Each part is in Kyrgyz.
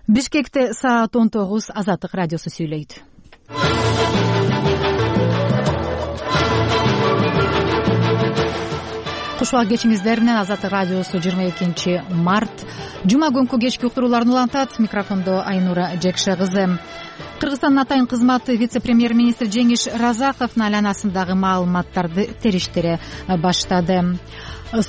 Бишкекте саат 19 Азаттык радиосу сүйлөйт. Кушуак кечиңиздер менен Азаттык радиосу 22 март жума күнкү кечки уктурууларын улантат. Микрофондо Айнура Жекше кызы. Кыргызстандын атайын кызматы вице-премьер-министри Жеңиш Разаковдун айланасындагы маалыматтарды териштире баштады.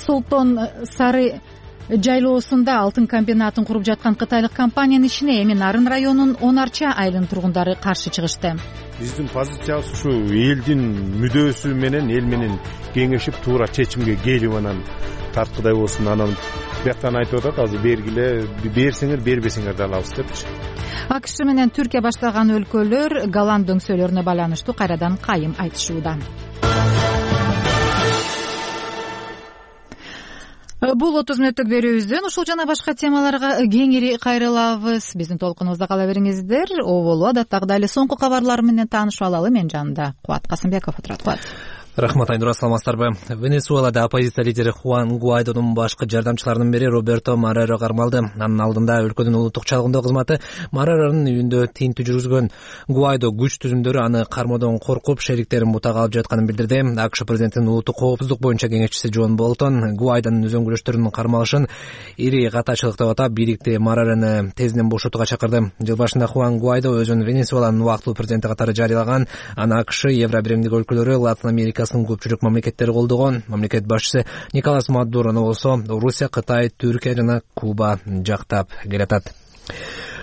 Солтон Сары жайлоосунда алтын комбинатын куруп жаткан кытайлык компаниянын ишине эми Нарын районунун 10 арча айылынын тургундары каршы чыгышты. Биздин позициябыз ушу элдин мүдөөсү менен эл менен кеңешип туура чечимге келип анан тарткыдай болсун. Анан бияктан айтып атат, азыр бергиле, берсеңер бербесеңер да алабыз депчи. АКШ менен Түркия баштаган өлкөлөр Голланд дөңсөлөрүнө байланыштуу кайрадан кайым айтышууда. Бул 30 мүнөттүк берүүбүздөн ушул жана башка темаларга кеңири кайрылабыз. Биздин толкунубузда кала бериңиздер. Оболу адаттагыдай эле соңку кабарлар менен таанышып алалы. Мен жанында Кубат Касымбеков отурат. Кубат. Рахмат, Айнура, саламатсыздарбы? Венесуэлада оппозиция лидери Хуан Гуайдонун башкы жардамчыларынын бири Роберто Морейро кармалды. Анын алдында өлкөнүн улуттук чалгындоо кызматы Морейронун үйүндө тинтүү жүргүзгөн. Гуайдо күч түзүмдөрү аны кармоодон коркуп, шериктерин бутага алып жатканын билдирди. АКШ президентинин улуттук коопсуздук боюнча кеңешчиси Джон Болтон Гуайдонун үзөңгүлөштөрүнүн кармалышын ири катачылык деп атап, бийликти Морейрону тезинен бошотууга чакырды. Жыл башында Хуан Гуайдо өзүн Венесуэланын убактылуу президенти катары жарыялаган. Аны АКШ, Евро биримдик өлкөлөрү, Латын Америкасынын көпчүлүк мамлекеттери колдогон. Мамлекет башчысы Николас Мадурону болсо Орусия, Кытай, Түркия жана Куба жактап келатат.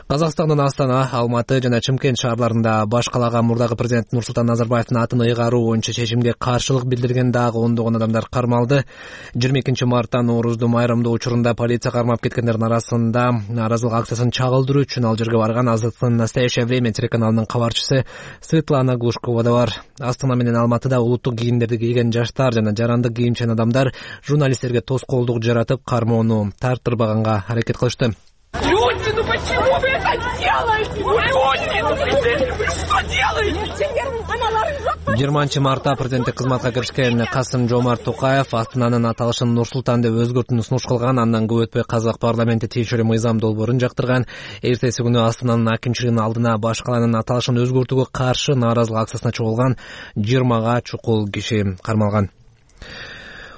Казакстандын Астана, Алматы жана Чымкент шаарларында баш калаага мурдагы президент Нурсултан Назарбаевдин атын ыйгаруу боюнча чечимге каршылык билдирген дагы ондогон адамдар кармалды. 22 мартта Ноорузду майрамдоо учурунда полиция кармап кеткендердин арасында нааразылык акциясын чагылдыруу үчүн ал жерге барган Азаттыктын «Настоящее время» телеканалынын кабарчысы Светлана Глушкова да бар. Астана менен Алматыда улуттук кийимдерди кийген жаштар жана жарандык кийимчен адамдар журналисттерге тоскоолдук жаратып, кармоону тарттырбаганга аракет кылышты. Люди, ну почему вы это делаете? Люди, ну вы что делаете? 20 мартта президенттик кызматка киришкен Касым-Жомарт Токаев Астананын аталышын Нур-Султан деп өзгөртүүнү сунуш кылган. Андан көп өтпөй казак парламенти тиешелүү мыйзам долбоорун жактырган. Эртеси күнү Астананын акимчилигинин алдына баш каланын аталышын өзгөртүүгө каршы нааразылык акциясына чогулган 20га чукул киши кармалган.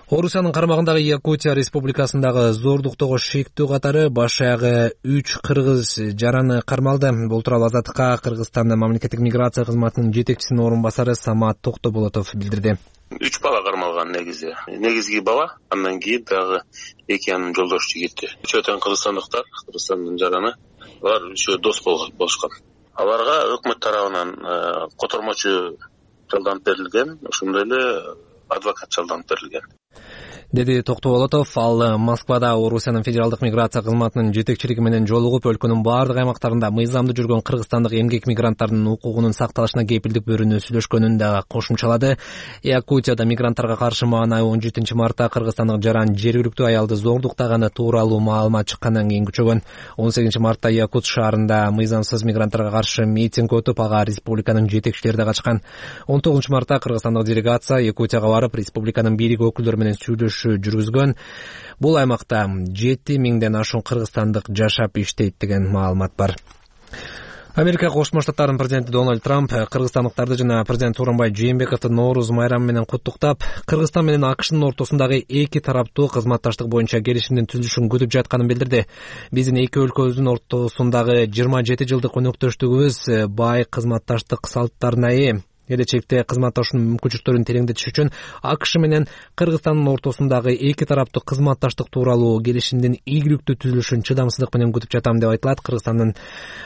Орусиянын карамагындагы Якутия республикасындагы зордуктогу шектүү катары баш аягы 3 кыргыз жараны кармалды. Бул тууралуу Азаттыкка Кыргызстандын мамлекеттик миграция кызматынын жетекчисинин орун басары Самат Токтоболотов билдирди. 3 бала кармалган негизги бала, андан кийин дагы 2 анын жолдош жигити. Үчөөтөн кыргызстандыктар, Кыргызстандын жараны, алар үшөө дос болушкан. Аларга өкмөт тарабынан котормочу жалданып берилген, ошондой эле адвокат жалданып берилген, деди Токтоболотов. Ал Москвада Орусиянын федералдык миграция кызматынын жетекчилиги менен жолугуп, өлкөнүн бардык аймактарында мыйзамдуу жүргөн кыргызстандык эмгек мигранттардын укугунун сакталышына кепилдик берүүнү сүйлөшкөнүн да кошумчалады. Якутияда мигранттарга каршы маанай 17 мартта кыргызстандык жаран жергиликтүү аялды зордуктаганы тууралуу маалымат чыккандан кийин күчөгөн. 18 мартта Якут шаарында мыйзамсыз мигранттарга каршы митинг өтүп, ага республиканын жетекчилери да качкан. 19 мартта кыргызстандык делегация Якутияга барып, республиканын бийлик өкүлдөрү менен сүйлөшүү жүргүзгөн. Бул аймакта 7000ден ашуун кыргызстандык жашап иштейт деген маалымат бар. Америка Кошмо Штаттарынын президенти Дональд Трамп кыргызстандыктарды жана президент Сооронбай Жээнбековду Нооруз майрамы менен куттуктап, Кыргызстан менен АКШнын ортосундагы эки тараптуу кызматташтык боюнча келишимдин түзүлүшүн күтүп жатканын билдирди. Биздин эки өлкөбүздүн ортосундагы 27 жылдык өнөктөштүгүбүз бай кызматташтык салттарына ээ. Келечекте кызматташуунун мүмкүнчүлүктөрүн тереңдетиш үчүн АКШ менен Кыргызстандын ортосундагы эки тараптуу кызматташтык тууралуу келишимдин ийгиликтүү түзүлүшүн чыдамсыздык менен күтүп жатам деп айтылат. Кыргызстандын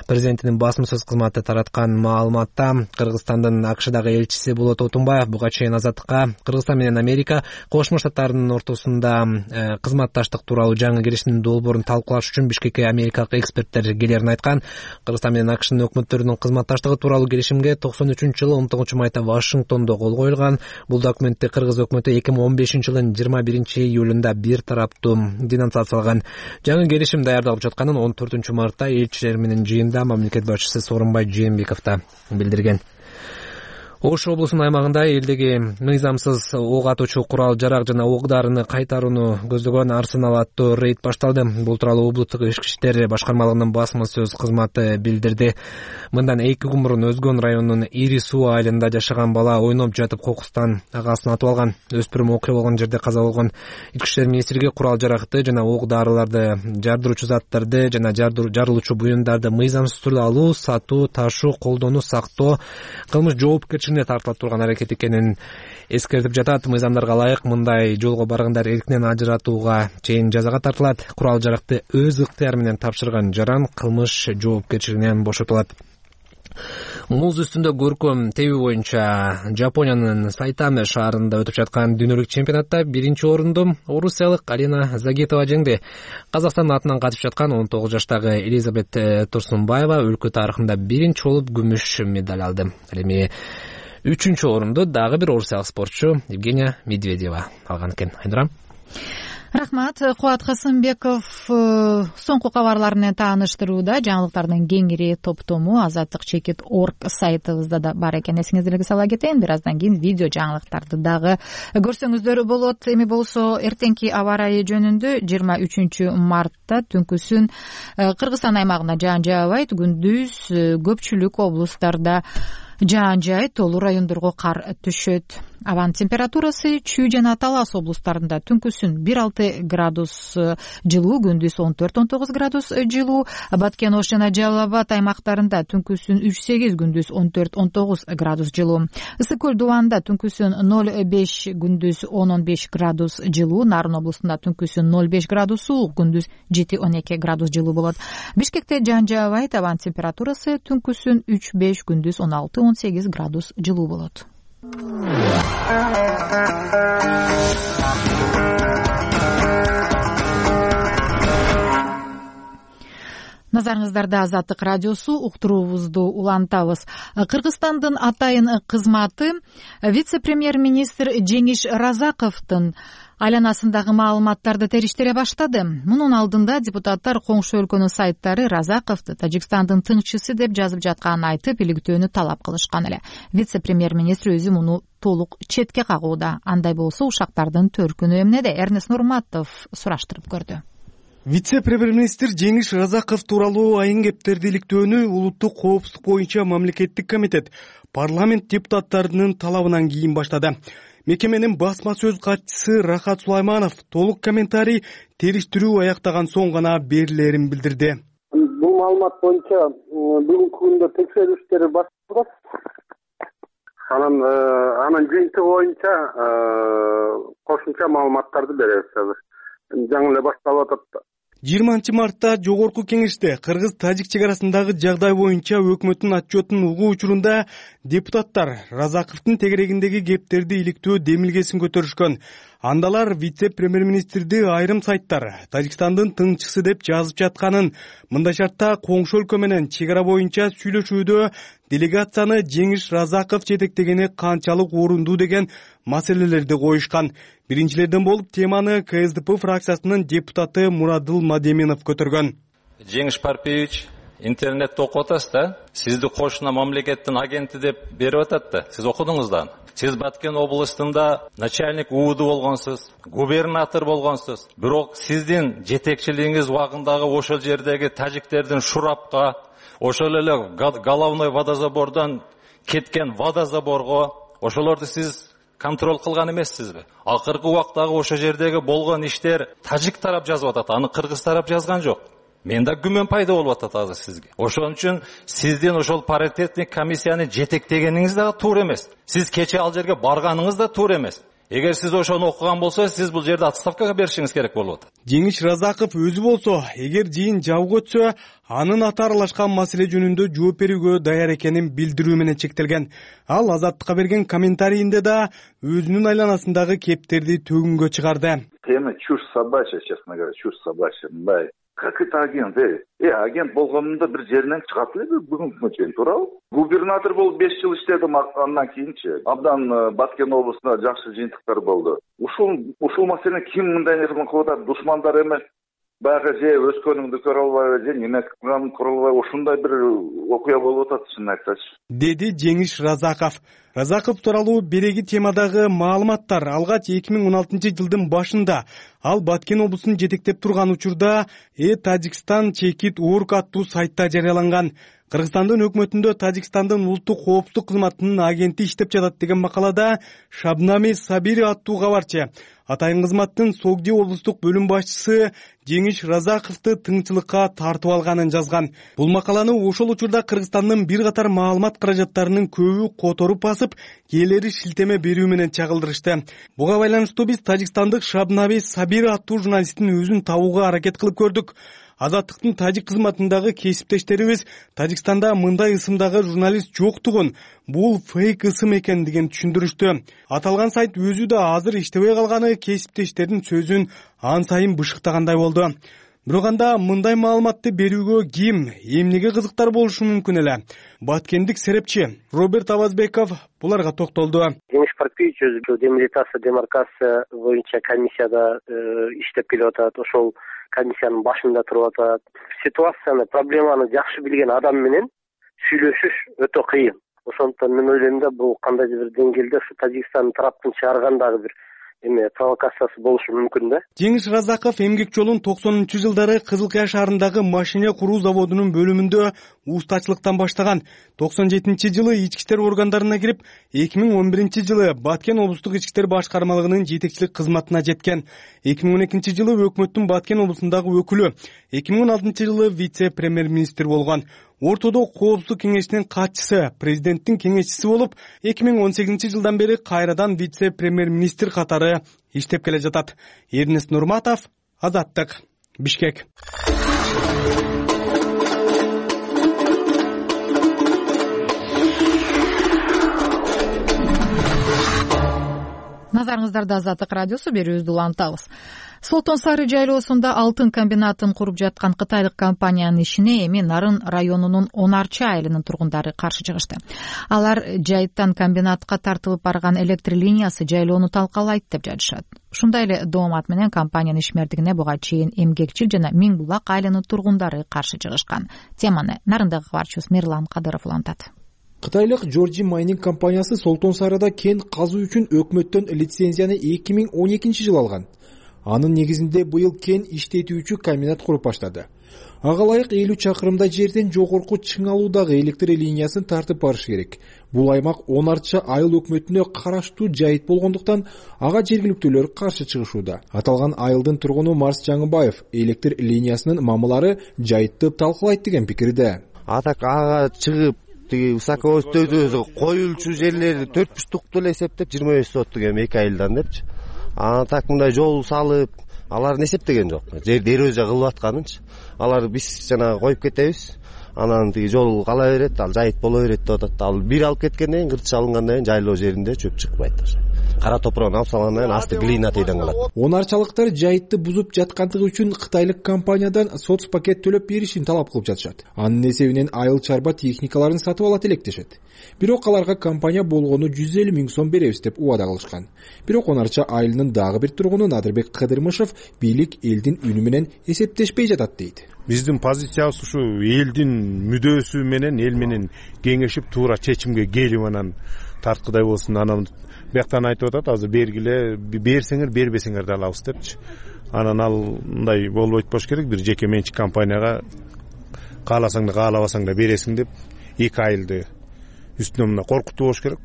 президентинин басма сөз кызматы тараткан маалыматта Кыргызстандын АКШдагы элчиси Болот Отунбаев буга чейин Азаттыкка Кыргызстан менен Америка Кошмо Штаттарынын ортосунда кызматташтык тууралуу жаңы келишимдин долбоорун талкуулаш үчүн Бишкекке америкалык эксперттер келерин айткан. Кыргызстан менен АКШнын өкмөттөрүнүн кызматташтыгы тууралуу келишимге 93-жылы 19 майда Вашингтондо кол коюлган. Бул документти кыргыз өкмөтү 2015-жылдын 21-июлунда бир тараптуу денонсациялаган. Жаңы келишим даярдалып жатканын 14 мартта элчилер менен жыйында мамлекет башчысы Сооронбай Жээнбеков да билдирген. Ош облусунун аймагында элдеги мыйзамсыз ок атуучу курал жарак жана ок дарыны кайтарууну көздөгөн арсенал аттуу рейд башталды. Бул тууралуу облустук ички иштер башкармалыгынын басма сөз кызматы билдирди. Мындан 2 күн мурун Өзгөн районунун Ири суу айылында жашаган бала ойноп жатып кокустан агасын атып алган. Өспүрүм окуя болгон жерде каза болгон. Ички иштер министрлиги курал жаракты жана ок дарыларды, жардыруучу заттарды жана жарылуучу буюмдарды мыйзамсыз түрдө алуу, сатуу, ташуу, колдонуу, сактоо кылмыш жоопкерчилигине тартылып турган аракет экенин эскертип жатат. Мыйзамдарга ылайык мындай жолго баргандар эркинен ажыратууга чейин жазага тартылат. Курал жаракты өз ыктыяры менен тапшырган жаран кылмыш жоопкерчилигинен бошотулат. Муз үстүндө көркөм тебүү боюнча Жапониянын Сайтаме шаарында өтүп жаткан дүйнөлүк чемпионатта 1-орунду орусиялык Алина Загитова жеңди. Казакстандын атынан катышып жаткан 19 жаштагы Элизабет Турсунбаева өлкө тарыхында 1 болуп күмүш медаль алды. Ал эми 3-орунду дагы бир орусиялык спортчу Евгения Медведева алган экен. Айнура. Рахмат. Кубат Касымбеков соңку кабарлар менен тааныштырууда. Жаңылыктардын кеңири топтому Азаттык.org сайтыбызда да бар экен. Эсиңиздерге сала кетейин. Бир аздан кийин видео жаңылыктарды дагы көрсөңүздөр болот. Эми болсо эртеңки аба ырайы жөнүндө 23 мартта түнкүсүн Кыргызстан аймагында жаан жаабайт. Күндүз көпчүлүк облустарда жаан жаайт, толуу райондорго кар түшөт. Абанын температурасы Чүй жана Талас облустарында түнкүсүн 1-6 градус жылуу, күндүз 14-19 градус жылуу. Баткен, Ош жана Жалал Абад аймактарында түнкүсүн 3-8, күндүз 14-19 градус жылуу. Ысык көл Дубанда түнкүсүн 0-5, күндүз 10-15 градус жылуу. Нарын облусунда түнкүсүн 0-5 градус суук, күндүз 7-12 градус жылуу болот. Бишкекте жаан жаабайт, абанын температурасы түнкүсүн 3-5, күндүз 16-18 градус жылуу болот. Назарыңыздарда Азаттык радиосу, уктуруубузду улантабыз. Кыргызстандын атайын кызматы вице-премьер-министр Жеңиш Разаковдун айланасындагы маалыматтарды териштире баштады. Мунун алдында депутаттар коңшу өлкөнүн сайттары Разаковду Тажикстандын тыңчысы деп жазып жатканын айтып, иликтөөнү талап кылышкан эле. Вице-премьер-министр өзү муну толук четке кагууда. Андай болсо ушактардын төркүнү эмнеде? Эрнест Нурматов сураштырып көрдү. Вице-премьер-министр Жеңиш Разаков тууралуу айын кептерди иликтөөнү улуттук коопсуздук боюнча мамлекеттик комитет парламент депутаттарынын талабынан кийин баштады. Мекеменин басма сөз катчысы Рахат Сулайманов толук комментарий териштирүү аяктаган соң гана берилерин билдирди. Бул маалымат боюнча бүгүнкү күндө текшерүү иштери башталат. Анын жыйынтыгы боюнча кошумча маалыматтарды беребиз азыр. Жаңы эле башталып атат. 20 мартта жогорку кеңеште кыргыз-тажик чек арасындагы жагдай боюнча өкмөттүн отчетун угуу учурунда депутаттар Разаковдун тегерегиндеги кептерди иликтөө демилгесин көтөрүшкөн. Андалар вице-премьер-министрди айрым сайттар Тажикстандын тыңчысы деп жазып жатканын, мындай шартта коңшу өлкө менен чек ара боюнча сүйлөшүүдө делегацияны Жеңиш Разаков жетектегени канчалык орундуу деген маселелерди коюшкан. Биринчилерден болуп теманы КСДП фракциясынын депутаты Мурадыл Мадеминов көтөргөн. Жеңиш Парпиевич, интернетте окуп атасыз да? Сизди кошуна мамлекеттин агенти деп берип атат да. Сиз окудуңуз да. Сиз Баткен областында начальник УУД болгонсуз, губернатор болгонсуз. Бирок сиздин жетекчилигиңиз убагындагы ошол жердеги тажиктердин Шурапка, ошол эле головной водозабордон кеткен водозаборго, ошолорду сиз контроль кылган эмессизби? Акыркы убактагы ошол жердеги болгон иштер тажик тарап жазып атат, аны кыргыз тарап жазган жок. Менде күмөн пайда болуп атат азыр сизге. Ошон үчүн сиздин ошол паритетный комиссияны жетектегениңиз да туура эмес. Сиз кече ал жерге барганыңыз да туура эмес. Эгер сиз ошону окуган болсо, сиз бул жерде отставкага беришиңиз керек болуп атат. Жеңиш Разаков өзү болсо, эгер жыйын жабык өтсө, анын аты аралашкан маселе жөнүндө жооп берүүгө даяр экенин билдирүү менен чектелген. Ал Азаттыкка берген комментарийинде да өзүнүн айланасындагы кептерди төгүнгө чыгарды. Тема чушь собачья, честно говоря, чушь собачья. Как это агент? Агент болгонунда бир жеринен чыгат эле бүгүнкү чейин, туурабы? Губернатор болуп 5 жыл иштедим, андан кийинчи абдан Баткен облусунда жакшы жыйынтыктар болду. Ушул маселени ким мындай нерсе кылып атат? Душмандар эмес. Баягы же өскөнүңдү көрө албайбы, же неме кылганымды көрө албайбы, ушундай бир окуя болуп атат, чынын айтсачы, деди Жеңиш Разаков. Разаков тууралуу береги темадагы маалыматтар алгач 2016 жылдын башында ал Баткен облусун жетектеп турган учурда Тажикстан Чекит Орг аттуу сайтта жарыяланган. Кыргызстандын өкмөтүндө Тажикстандын улуттук коопсуздук кызматынын агенти иштеп жатат деген макалада Шабнами Сабири аттуу кабарчы атайын кызматтын Согди облустук бөлүм башчысы Жеңиш Разаковду тыңчылыкка тартып алганын жазган. Бул макаланы ошол учурда Кыргызстандын бир катар маалымат каражаттарынын көбү которуп басып, кээлери шилтеме берүү менен чагылдырышты. Буга байланыштуу биз тажикстандык Шабнаби Сабири аттуу журналисттин өзүн табууга аракет кылып көрдүк. Азаттыктын тажик кызматындагы кесиптештерибиз Тажикстанда мындай ысымдагы журналист жоктугун, бул фейк ысым экендигин түшүндүрүштү. Аталган сайт өзү да азыр иштебей калганы кесиптештердин сөзүн ан сайын бышыктагандай болду. Бирок анда мындай маалыматты берүүгө ким, эмнеге кызыктар болушу мүмкүн эле? Баткендик серепчи Роберт Абазбеков буларга токтолду. Жеңиш Парпиевич өзү демилитация, демаркация боюнча комиссияда иштеп келип атат. Ошол комиссиянын башында туруп атат. Ситуацияны, проблеманы жакшы билген адам менен сүйлөшүш өтө кыйын. Ошондуктан мен ойлойм да бул кандайдыр бир деңгээлде ушу Тажикстандын тараптын чыгаргандагы бир провокациясы болушу мүмкүн да. Жеңиш Разаков эмгек жолун 90-жылдары Кызыл Кыя шаарындагы машина куруу заводунун бөлүмүндө устачылыктан баштаган. 97-жылы ички иштер органдарына кирип, 2011-жылы Баткен облустук ички иштер башкармалыгынын жетекчилик кызматына жеткен. 2012-жылы өкмөттүн Баткен облусундагы өкүлү, 2016-жылы вице-премьер-министр болгон. Ортодо коопсуздук кеңешинин катчысы, президенттин кеңешчиси болуп, 2018-жылдан бери кайрадан вице-премьер-министр катары иштеп келе жатат. Эрнест Нурматов, Азаттык, Бишкек. Назарыңыздарда Азаттык радиосу, берүүбүздү улантабыз. Солтон Сары жайлоосунда алтын комбинатын куруп жаткан кытайлык компаниянын ишине эми Нарын районунун Онарчы айылынын тургундары каршы чыгышты. Алар жайыттан комбинатка тартылып барган электр линиясы жайлоону талкалайт деп жатышат. Ушундай эле доомат менен компаниянын ишмердигине буга чейин Эмгекчил жана Миң Булак айылынын тургундары каршы чыгышкан. Теманы Нарындагы кабарчыбыз Мирлан Кадыров улантат. Кытайлык Georgia Mining компаниясы Солтон Сарыда кен казуу үчүн өкмөттөн лицензияны 2012-жылы алган. Анын негизинде быйыл кен иштетүүчү комбинат куруп баштады. Ага ылайык 50 чакырымдай жерден жогорку Чыңалуудагы электр линиясын тартып барыш керек. Бул аймак Онарчы айыл өкмөтүнө караштуу жайыт болгондуктан ага жергиликтүүлөр каршы чыгышууда. Аталган айылдын тургуну Марс Жаңыбаев электр линиясынын мамылары жайытты талкалайт деген пикирде. Атак ага чыгып высоковостойдуу коюлчу жерлерди 4,5 эле эсептеп 25 соттук эми 2 айылдан депчи. Так мындай жол салып, аларды эсептеген жок. Жерди эрозия кылып атканынчы. Аларды биз жана коюп кетебиз. Анан тиги жол кала берет, ал жайыт боло берет деп атат. Ал бир алып кеткенден кийин, кыртыш алынгандан кийин жайлоо жеринде чөп чыкпайт. Кара топурагын алып салгандан кийин асты глина тийден калат. Онарчалыктар жайытты бузуп жаткандыгы үчүн кытайлык компаниядан соцпакет төлөп беришин талап кылып жатышат. Анын эсебинен айыл чарба техникаларын сатып алат электешет. Бирок аларга компания болгону 150 000 сом беребиз деп убада кылышкан. Бирок Онарчы айылынын дагы бир тургуну Надырбек Кыдырмышев бийлик элдин үнү менен эсептешпей жатат дейт. Биздин позициябыз ушу элдин мүдөөсү менен, эл менен кеңешип туура чечимге келип анан тарткыдай болсун. Анан бияктан айтып атат, азыр бергиле, берсеңер, бербесеңер да алабыз депчи. Анан ал мындай болбойт болуш керек, бир жеке менчик компанияга кааласаң да каалабасаң да бересиң деп 2 айылды үстүнө мына коркутуу болуш керек.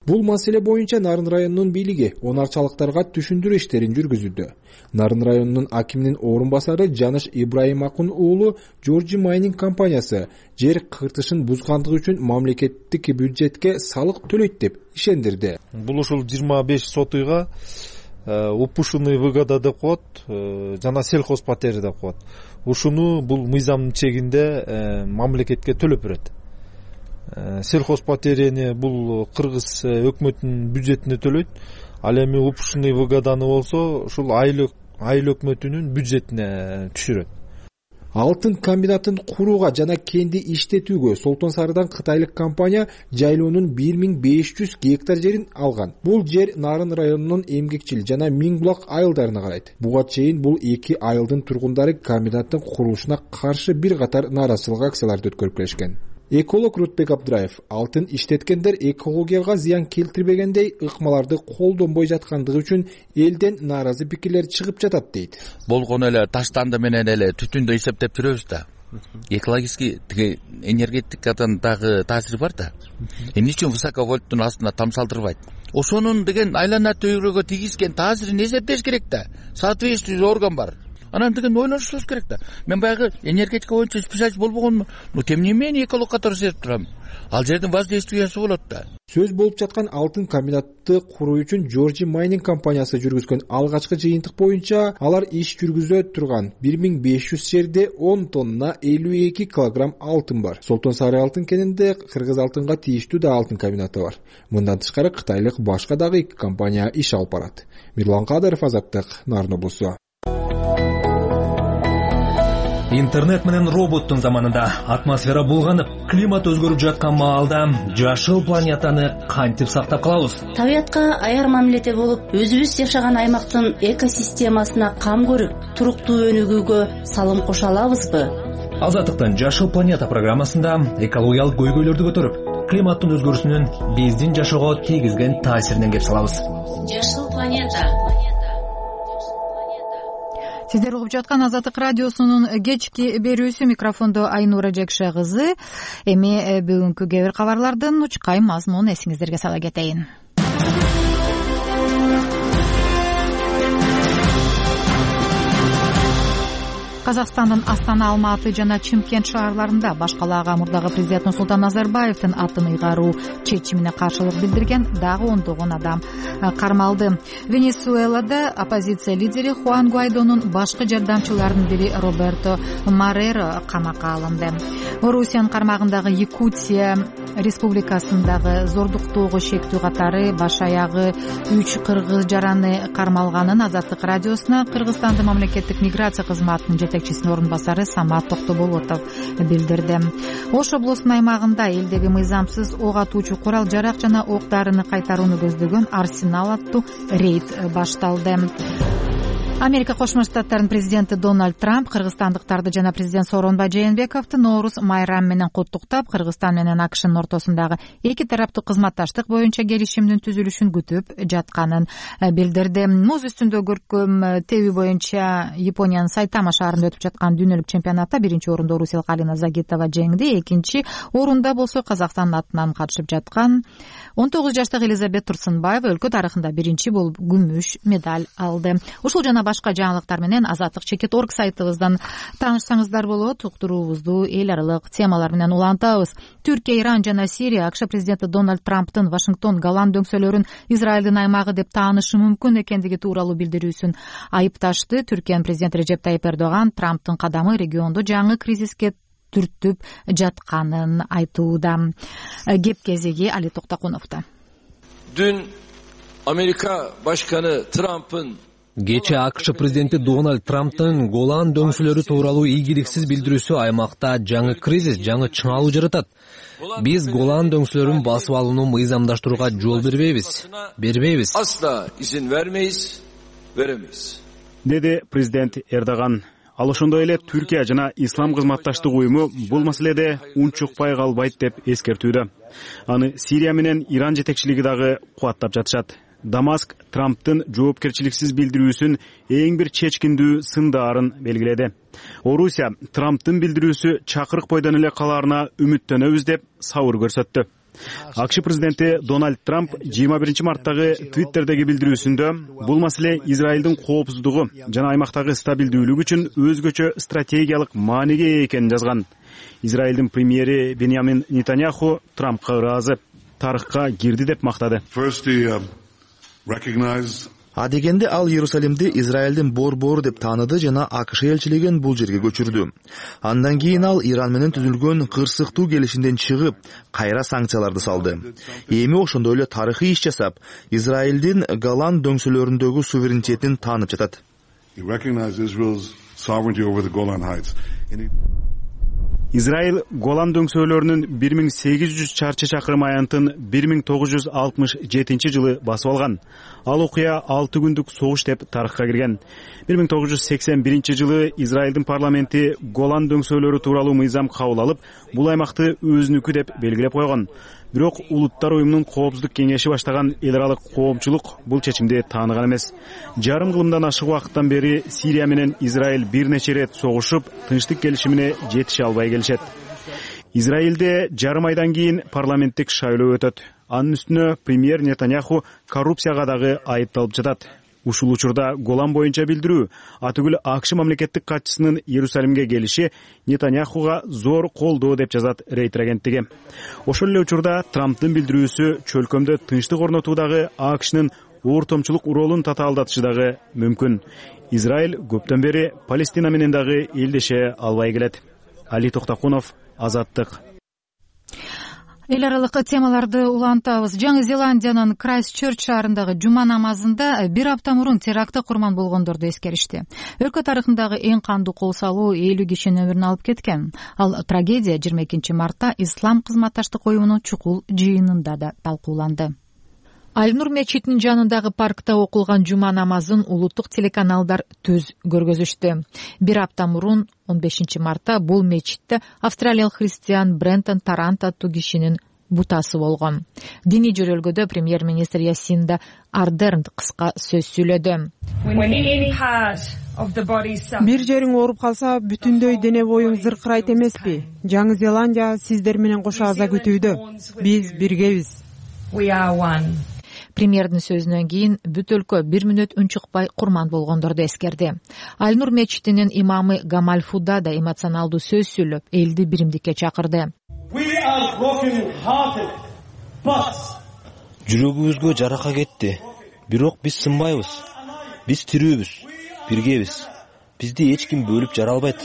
Бул маселе боюнча Нарын районунун бийлиги Онарчалыктарга түшүндүрүү иштерин жүргүзүүдө. Нарын районунун акиминин орун басары Жаныш Ибраимакун уулу Georgia Mining компаниясы жер кыртышын бузгандыгы үчүн мамлекеттик бюджетке салык төлөйт деп ишендирди. Бул ушул 25 сотыйга упушуный выгода деп коет, жана сельхозпатери деп коет. Ушуну бул мыйзамдын чегинде мамлекетке төлөп берет. Сельхозпатерияны бул кыргыз өкмөтүнүн бюджетине төлөйт. Ал эми упушуный выгоданы болсо ушул айыл өкмөтүнүн бюджетине түшүрөт. Алтын комбинатын курууга жана кенди иштетүүгө Солтон Сарыдан кытайлык компания жайлоонун 1500 гектар жерин алган. Бул жер Нарын районунун Эмгекчил жана Миңбулак айылдарына карайт. Буга чейин бул эки айылдын тургундары комбинаттын курулушуна каршы бир катар нааразычылык акцияларды өткөрүп келишкен. Эколог Рутбек Абдраев алтын иштеткендер экологияга зыян келтирбегендей ыкмаларды колдонбой жаткандыгы үчүн элден нааразы пикирлер чыгып жатат дейт. Болгону эле таштанды менен эле түтүндү эсептеп жүрөбүз да. Экологический тиги энергетикадан дагы таасири бар да. Эмне үчүн высоковольттун астына тамсалтырбайт? Ошонун деген айлана төйрөгө тийгизген таасирин эсептеш керек да. Соответствующий орган бар. Анан деген ойлонушубуз керек да. Мен баягы энергетика боюнча специалист болбогонмун. Тем не менее эколог катары сезип турам. Ал жердин воздействиясы болот да. Сөз болуп жаткан алтын комбинатты куруу үчүн Georgia Mining компаниясы жүргүзгөн алгачкы жыйынтык боюнча алар иш жүргүзө турган 1500 жерде 10 тонна 52 килограмм алтын бар. Солтон Сары алтын кенинде кыргыз алтынга тийиштүү да алтын комбинаты бар. Мындан тышкары кытайлык башка дагы 2 компания иш алып барат. Мирлан Кадыров, Азаттык, Нарын облусу. Интернет менен роботтун заманында атмосфера булганып, климат өзгөрүп жаткан маалда жашыл планетаны кантип сактап калабыз? Табиятка аяр мамиледе болуп, өзүбүз жашаган аймактын экосистемасына кам көрүп, туруктуу өнүгүүгө салым кошо алабызбы? Азаттыктын Жашыл планета программасында экологиялык көйгөйлөрдү көтөрүп, климаттын өзгөрүүсүнүн биздин жашоого тийгизген таасиринен кеп салабыз. Жашыл планета. Сиздер угуп жаткан Азаттык радиосунун кечки берүүсү, микрофондо Айнура Жекше кызы. Эми бүгүнкү кээ бир кабарлардын учкай мазмунун эсиңиздерге сала кетейин. Казакстандын Астана, Алматы жана Чымкент шаарларында баш калаага мурдагы президент Нурсултан Назарбаевдин атын ыйгаруу чечимине каршылык билдирген дагы ондогон адам кармалды. Венесуэлада оппозиция лидери Хуан Гуайдонун башкы жардамчыларынын бири Роберто Мареро камакка алынды. Орусиянын кармагындагы Якутия республикасындагы зордуктоого шектүү катары баш аягы 3 кыргыз жараны кармалганын Азаттык радиосуна Кыргызстандын мамлекеттик миграция кызматынын жетекчисинин орун басары Самат Токтоболотов билдирди. Ош облусунун аймагында элдеги мыйзамсыз ок атуучу курал жарак жана ок дарыны кайтарууну көздөгөн Арсенал аттуу рейд башталды. Америка Кошмо Штаттарынын президенти Дональд Трамп кыргызстандыктарды жана президент Сооронбай Жээнбековду Ноорус майрамы менен куттуктап, Кыргызстан менен АКШнын ортосундагы эки тараптуу кызматташтык боюнча келишимдин түзүлүшүн күтүп жатканын билдирди. Муз үстүндө көркөм тебүү боюнча Япониянын Сайтама шаарында өтүп жаткан дүйнөлүк чемпионатта биринчи орунда оруссиялык Алина Загитова жеңди, экинчи орунда болсо Казакстандын атынан катышып жаткан 19 жаштагы Элизабет Турсунбаева өлкө тарыхында биринчи болуп күмүш медаль алды. Ушул жана башка жаңылыктар менен azatlik.org сайтыбыздан таанышсаңыздар болот. Уктуруубузду эл аралык темалар менен улантабыз. Түркия, Иран жана Сирия АКШ президенти Дональд Трамптын Вашингтон Голланд дөңсөлөрүн Израилдин аймагы деп таанышы мүмкүн экендиги тууралуу билдирүүсүн айыпташты. Түркиянын президенти Режеп Тайип Эрдоган Трамптын кадамы региондо жаңы кризиске түртүп жатканын айтууда. Кеп кезеги Али Токтакуновдо. Dün Amerika Başkanı Trump'ın Кечээ АКШ президенти Дональд Трамптын Голланд дөңсөлөрү тууралуу ийгиликсиз билдирүүсү аймакта жаңы кризис, жаңы чыңалуу жаратат. Биз Голланд дөңсөлөрүн басып алууну мыйзамдаштырууга жол бербейбиз. Asla izin vermeyiz, veremeyiz. Деди президент Эрдоган. Ал ошондой эле Түркия жана Ислам кызматташтык уюму бул маселеде унчукпай калбайт деп эскертүүдө. Аны Сирия менен Иран жетекчилиги дагы кубаттап жатышат. Дамаск Трамптын жоопкерчиликсиз билдирүүсүн эң бир чечкиндүү сындаарын белгиледи. Орусия Трамптын билдирүүсү чакырык бойдон эле калаарына үмүттөнөбүз деп сабыр көрсөттү. АКШ президенти Дональд Трамп 21 марттагы Твиттердеги билдирүүсүндө бул маселе Израилдин коопсуздугу жана аймактагы стабилдүүлүк үчүн өзгөчө стратегиялык мааниге ээ экенин жазган. Израилдин премьери Беньямин Нетаньяху Трампка ыраазы, тарыхка кирди деп мактады. Адегенде ал Иерусалимди Израилдин борбору деп тааныды жана АКШ элчилигин бул жерге көчүрдү. Андан кийин ал Иран менен түзүлгөн кырсыктуу келишимден чыгып, кайра санкцияларды салды. Эми ошондой эле тарыхый иш жасап, Израилдин Голланд дөңсөлөрүндөгү суверенитетин таанып жатат. sovereignty over the Golan Heights. Израиль Голан дөңсөөлөрүнүн 1800 чарчы чакырым аянтын 1967 жылы басып алган. Ал окуя 6 күндүк согуш деп тарыхка кирген. 1981 жылы Израилдин парламенти Голан дөңсөөлөрү тууралуу мыйзам кабыл алып, бул аймакты өзүнүкү деп белгилеп койгон. Бирок Улуттар уюмунун коопсуздук кеңеши баштаган эл аралык коомчулук бул чечимди тааныган эмес. Жарым кылымдан ашык убакыттан бери Сирия менен Израиль бир нече ирет согушуп, тынчтык келишимине жетише албай келишет. Израилде жарым айдан кийин парламенттик шайлоо өтөт. Анын үстүнө премьер Нетаньяху коррупцияга дагы айыпталып жатат. Ушул учурда Голан боюнча билдирүү, атүгүл АКШ мамлекеттик катчысынын Иерусалимге келиши Нетаньяхуга зор колдоо деп жазат Рейтер агенттиги. Ошол эле учурда Трамптын билдирүүсү чөлкөмдө тынчтык орнотуудагы АКШнын ортомчулук ролун татаалдатышы дагы мүмкүн. Израиль көптөн бери Палестина менен дагы элдеше албай келет. Али Токтокунов, Азаттык. Эл аралык темаларды улантабыз. Жаңы Зеландиянын Крайстчерч шаарындагы жума намазында бир апта мурун терактка курман болгондорду эскеришти. Өлкө тарыхындагы эң кандуу кол салуу 50 кишинин өмүрүн алып кеткен. Ал трагедия 22 мартта Ислам кызматташтык уюмунун чукул жыйынында да талкууланды. Аль-Нур мечитинин жанындагы паркта окулган жума намазын улуттук телеканалдар түз көргөзүштү. Бир апта мурун 15 мартта бул мечитте австралиялык христиан Брентон Тарант аттуу кишинин бутасы болгон. Диний жөрөлгөдө премьер-министр Ясинда Ардерн кыска сөз сүйлөдү. Бир жериң ооруп калса, бүтүндөй дене боюң зыркырайт эмеспи? Жаңы Зеландия сиздер менен кошо аза күтүүдө. Биз биргебиз. Премьердин сөзүнөн кийин бүт өлкө 1 мүнөт үн чыкпай курман болгондорду эскерди. Аль-Нур мечитинин имамы Гамаль Фуда да эмоционалдуу сөз сүйлөп, элди биримдикке чакырды. Жүрөгүбүзгө жарака кетти. Бирок биз сынбайбыз. Биз тирүүбүз, биргебиз. Бизди эч ким бөлүп жара албайт.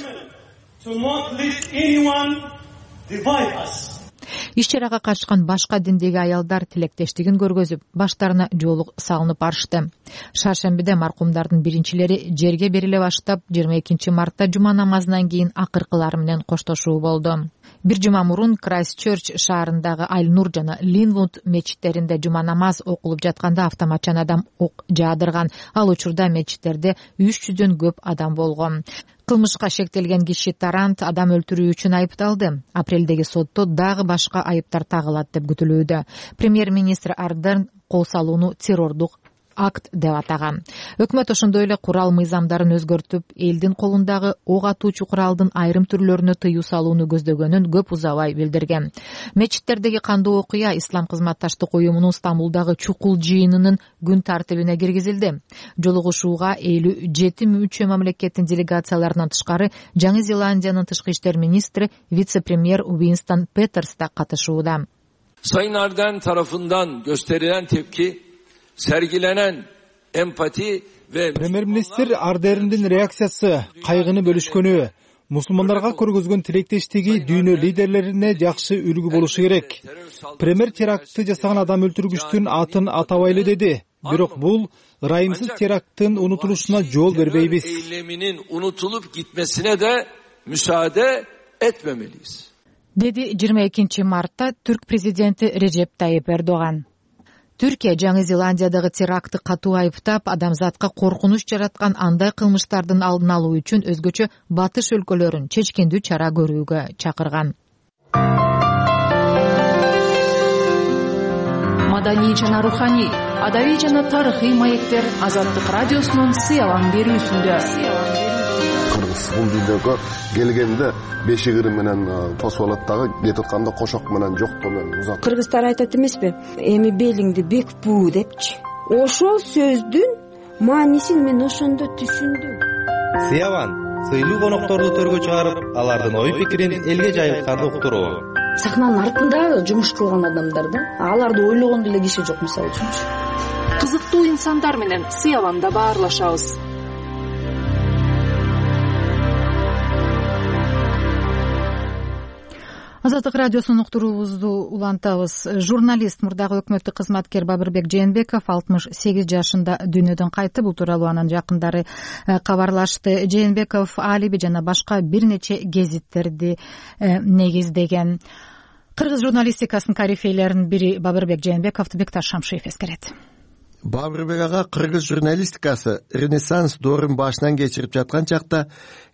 Иш-чарага катышкан башка диндеги аялдар тилектештигин көргөзүп, баштарына жоолук салынып барышты. Шаршембиде маркумдардын биринчилери жерге бериле баштап, 22 мартта жума намазынан кийин акыркылары менен коштошуу болду. Бир жума мурун Крайстчерч шаарындагы Аль-Нур жана Линвуд мечиттеринде жума намаз окулуп жатканда автоматчан адам ок жаадырган. Ал учурда мечиттерде 300дөн көп адам болгон. Кылмышка шектелген киши Тарант адам өлтүрүү үчүн айыпталды. Апрелдеги сотто дагы башка айыптар тагылат деп күтүлүүдө. Премьер-министр Ардерн кол салууну террордук акт деп атаган. Өкмөт ошондой эле курал мыйзамдарын өзгөртүп, элдин колундагы ок атуучу куралдын айрым түрлөрүнө тыюу салууну көздөгөнүн көп узабай билдирген. Мечиттердеги кандуу окуя Ислам кызматташтык уюмунун Стамбулдагы чукул жыйынынын күн тартибине киргизилди. Жолугушууга 57 мүчө мамлекеттин делегацияларынан тышкары Жаңы Зеландиянын тышкы иштер министри вице-премьер Уинстон Петерс да катышууда. Sayın Ardern tarafından gösterilen tepki, sergilenen empati ve Премьер-министр Ардерндин реакциясы, кайгыны бөлүшкөнү, мусулмандарга көргөзгөн тилектештиги дүйнө лидерлерине жакшы үлгү болушу керек. Премьер терактты жасаган адам өлтүргүчтүн атын атабайлы деди. Бирок бул ырайымсыз теракттын унутулушуна жол бербейбиз. Eyleminin unutulup gitmesine de müsaade etmemeliyiz. Деди 22 мартта түрк президенти Режеп Тайип Эрдоган. Түркия Жаңы Зеландиядагы терактты катуу айыптап, адамзатка коркунуч жараткан андай кылмыштардын алдын алуу үчүн өзгөчө батыш өлкөлөрүн чечкиндүү чара көрүүгө чакырган. Маданий жана руханий, адабий жана тарыхый маектер Азаттык радиосунун сыялам берүүсүндө. Бул дүйнөгө келгенде бешигири менен тосуп алат дагы, кетип атканда кошок менен жоктоо менен узат. Кыргыздар айтат эмеспи? Эми белиңди бекпүү депчи. Ошол сөздүн маанисин мен ошондо түшүндүм. Сыяван, сыйлуу конокторду төргө чыгарып, алардын ой пикирин элге жайылтканды уктуруу. Сахнанын артында жумуш кылган адамдар да, аларды ойлогон деле киши жок мисалы үчүнчү. Кызыктуу инсандар менен Сыяванда баарлашабыз. Азаттык радиосунун уктуруубузду улантабыз. Журналист, мурдагы өкмөттүк кызматкер Бабырбек Жээнбеков 68 жашында дүйнөдөн кайтты. Бул тууралуу анын жакындары кабарлашты. Жээнбеков Алиби жана башка бир нече гезиттерди негиздеген. Кыргыз журналистикасынын корифейлеринин бири Бабырбек Жээнбековду Бекташ Шамшиев эскерет. Бабырбек ага кыргыз журналистикасы ренессанс доорун башынан кечирип жаткан чакта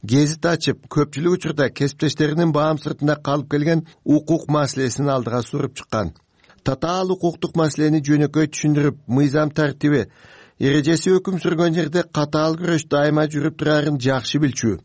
гезит ачып, көпчүлүк учурда кесиптештеринин баам сыртында калып келген укук маселесин алдыга суруп чыккан. Татаал укуктук маселени жөнөкөй түшүндүрүп, мыйзам тартиби, эрежеси өкүм сүргөн жерде катаал күрөш дайыма жүрүп турарын жакшы билчү.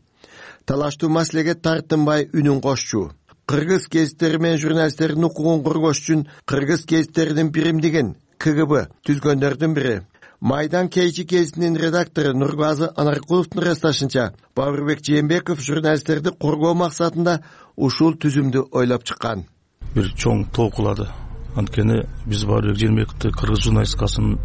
Талаштуу маселеге тартынбай үнүн кошчу. Кыргыз гезиттери менен журналисттердин укугун коргош үчүн кыргыз гезиттеринин биримдигин КГБ түзгөндөрдүн бири. Майдан Кейчи гезитинин редактору Нургазы Анаркуловдун ырасташынча, Бабырбек Жээнбеков журналисттерди коргоо максатында ушул түзүмдү ойлоп чыккан. Бир чоң толкулады. Анткени биз Бабырбек Жээнбековду кыргыз журналистикасынын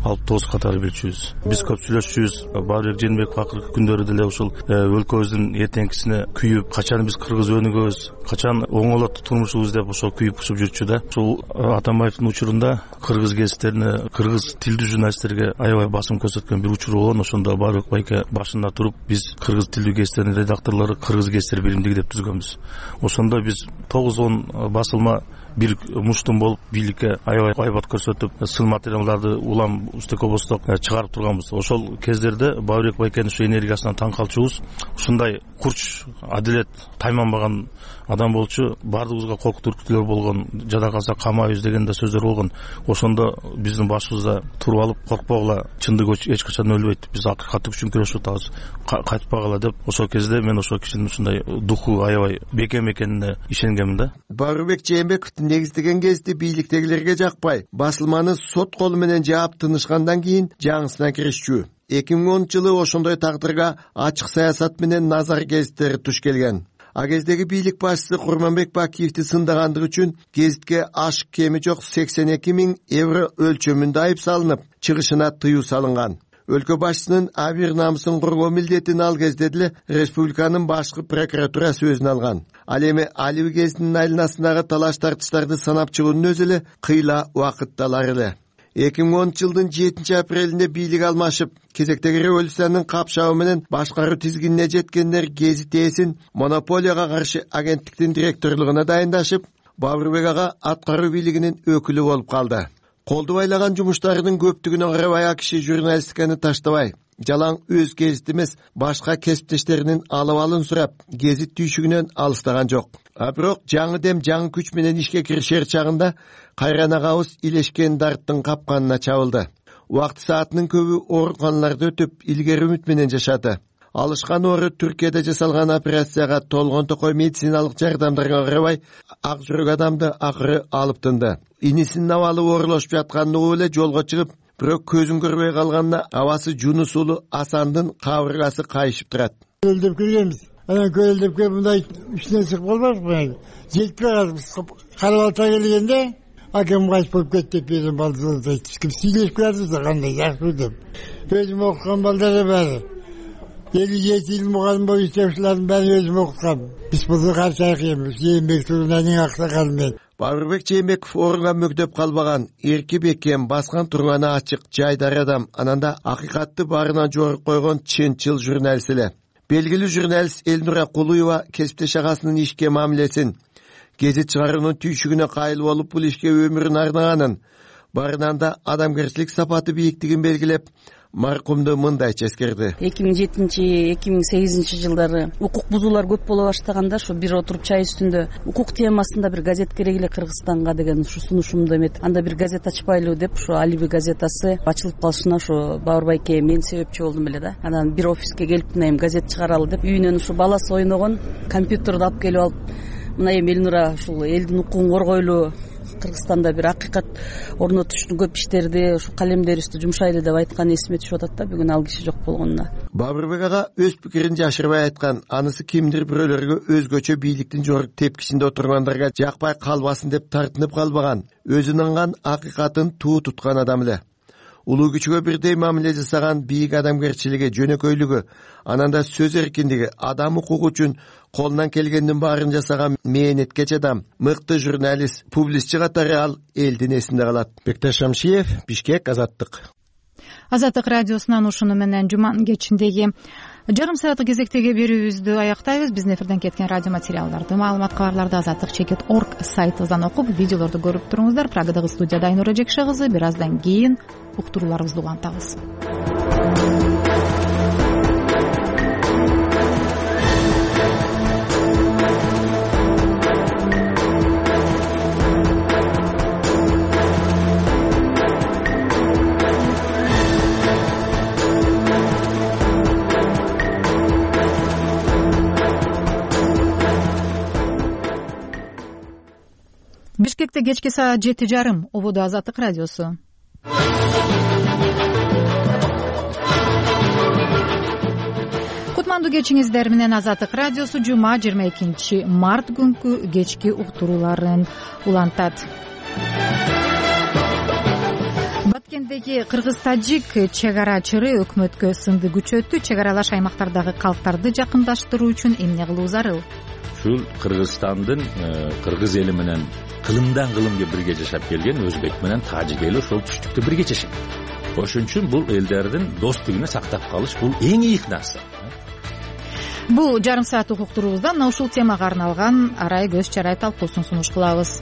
алып тоос катары билчүбүз. Биз көп сүйлөшчүбүз. Бабырбек Жээнбеков акыркы күндөрү деле ушул өлкөбүздүн эртеңкисине күйүп, качан биз кыргыз өнүгөбүз, качан оңолот турмушубуз деп ошо күйүп-пушуп жүрчү да. Ушул Атамбаевдин учурунда кыргыз гезиттерине, кыргыз тилдүү журналисттерге аябай басым көрсөткөн бир учур болгон. Ошондо Бабырбек байке башында туруп, биз кыргыз тилдүү гезиттердин редакторлору кыргыз гезиттер биримдиги деп түзгөнбүз. Ошондо биз 9-10 басылма бир муштум болуп бийликке аябай айбат көрсөтүп, сын материалдарды улам устекобосток чыгарып турганбыз. Ошол кездерде Бабырбек байкенин ушу энергиясынан таң калчубуз. Ушундай курч, адилет, тайманбаган адам болчу. Баардыгыбызга коркут үркүтүүлөр болгон, жада калса камайбыз деген да сөздөр болгон. Ошондо биздин башыбызда туруп алып, коркпогула, чындык эч качан өлбөйт. Биз акыйкаттык үчүн күрөшүп атабыз. Кайтпагыла деп, ошол кезде мен ошол кишинин ушундай духу аябай бекем экенине ишенгенмин да. Бабырбек Жээнбековдун негиздеген гезити бийликтегилерге жакпай, басылманы сот колу менен жаап тынышкандан кийин жаңысына киришчү. 2010-жылы ошондой тагдырга ачык саясат менен Назар гезиттери туш келген. А кездеги бийлик башчысы Курманбек Бакиевди сындагандыгы үчүн гезитке ашык кеми жок 82 000 евро өлчөмүндө айып салынып, чыгышына тыюу салынган. Өлкө башчысынын абийир намысын коргоо милдетин ал кезде деле республиканын башкы прокуратурасы өзүнө алган. Ал эми Алиби гезитинин айланасындагы талаш тартыштарды санап чыгуунун өзү эле кыйла убакыт алар эле. 2010-жылдын 7-апрелинде бийлик алмашып, кезектеги революциянын капшабы менен башкаруу тизгинине жеткендер гезит ээсин монополияга каршы агенттиктин директорлугуна дайындашып, Бабырбек ага аткаруу бийлигинин өкүлү болуп калды. Колду байлаган жумуштарынын көптүгүнө карабай акиши журналистиканы таштабай, жалаң өз гезит эмес, башка кесиптештеринин алыбалын сурап, гезит түйшүгүнөн алыстаган жок. А бирок жаңы дем жаңы күч менен ишке киришер чагында кайран агабыз илешкен дарттын капканына чабылды. Убакыт саатынын көбү ооруканаларда өтүп, илгери үмүт менен жашады. Алышкан оору Түркияда жасалган операцияга толгон токой медициналык жардамдарга карабай, ак жүрөк адамды акыры алып тынды. Инисинин абалы оорулашып жатканын угуп эле жолго чыгып, бирок көзүн көрбөй калганына абасы Жунус уулу Асандын кабыргасы кайышып турат. Көлдөп келгенбиз. Анан көлдөп келип мындай үстүнөн чыгып калбайбызбы? Жетип калабыз. Карабалта келгенде акем кайтып болуп кетти деп берген балдарды айтышкым сүйлөшүп келатыбыз да кандай жакшы деп. Өзүм окуган балдар бар. 57 жыл мугалим болуп иштеушүлөрдүн баарын өзүм окуткам. Биз буну каршы айкыйбыз. Жээнбек турунанын аксакалы мен. Бабырбек Жээнбеков орунга мөктөп калбаган, эрки бекем, баскан турганы ачык, жайдар адам, ананда акыйкатты баарынан жогору койгон чынчыл журналист эле. Белгилүү журналист Элнура Кулуева кесиптеш агасынын ишке мамилесин, гезит чыгаруунун түйшүгүнө кайыл болуп бул ишке өмүрүн арнаганын, баарынан да адамгерчилик сапаты бийиктигин белгилеп, маркумду мындайча эскерди. 2007-2008 жылдары укук бузуулар көп боло баштаганда ошо бир отуруп чай үстүндө укук темасында бир газет керек эле Кыргызстанга деген ушу сунушумду эметип, анда бир газет ачпайлы деп ошо Алиби газетасы ачылып калышына ошо Бабыр байке мен себепчи болдум эле да. Анан бир офиске келип мына эми газет чыгаралы деп үйүнөн ушу баласы ойногон компьютерди алып келип алып, мына эми Элнура ушул элдин укугун коргойлу, Кыргызстанда бир акыйкат орнотуштун көп иштерди, ушу калемдерибизди жумшайлы деп айткан эсиме түшүп атат да, бүгүн ал киши жок болгонуна. Бабырбек ага өз пикирин жашырбай айткан, анысы кимдир бирөөлөргө өзгөчө бийликтин жогорку тепкисинде отургандарга жакпай калбасын деп тартынып калбаган, өзүнүн акыйкатын туу туткан адам эле. улуу күчкө бирдей мамиле жасаган бийик адамгерчилиги, жөнөкөйлүгү, анан да сөз эркиндиги, адам укугу үчүн колунан келгендин баарын жасаган мээнеткеч адам, мыкты журналист, публистчи катары ал элдин эсинде калат. Бектеш Шамшиев, Бишкек, Азаттык. Азаттык радиосунан ушуну менен жуманын кечиндеги жарым сааттык кезектеги берүүбүздү аяктайбыз. Биздин эфирден кеткен радио материалдарды, маалымат кабарларды azatlyk.org сайтыбыздан окуп, видеолорду көрүп туруңуздар. Прагадагы студияда Айнура Жекше кызы. Бир аздан кийин уктурууларыбызды улантабыз. Бишкекте кечки саат 7:30. Ободо Азаттык радиосу. Кутмандуу кечиңиздер менен Азаттык радиосу жума 22 март күнкү кечки уктурууларын улантат. Баткендеги кыргыз-тажик чек-ара чыры өкмөткө сынды күчөттү. Чек-аралаш аймактардагы калктарды жакындаштыруу үчүн эмне кылуу зарыл? Ушул Кыргызстандын кыргыз эли менен кылымдан кылымга бирге жашап келген өзбек менен тажик эли ошол түштүктө бирге жашайт. Ошон үчүн бул элдердин достугун сактап калыш бул эң ийик нерсе. Бул жарым сааттык уктуруубузда мына ушул темага арналган арай көз чарай талкуусун сунуш кылабыз.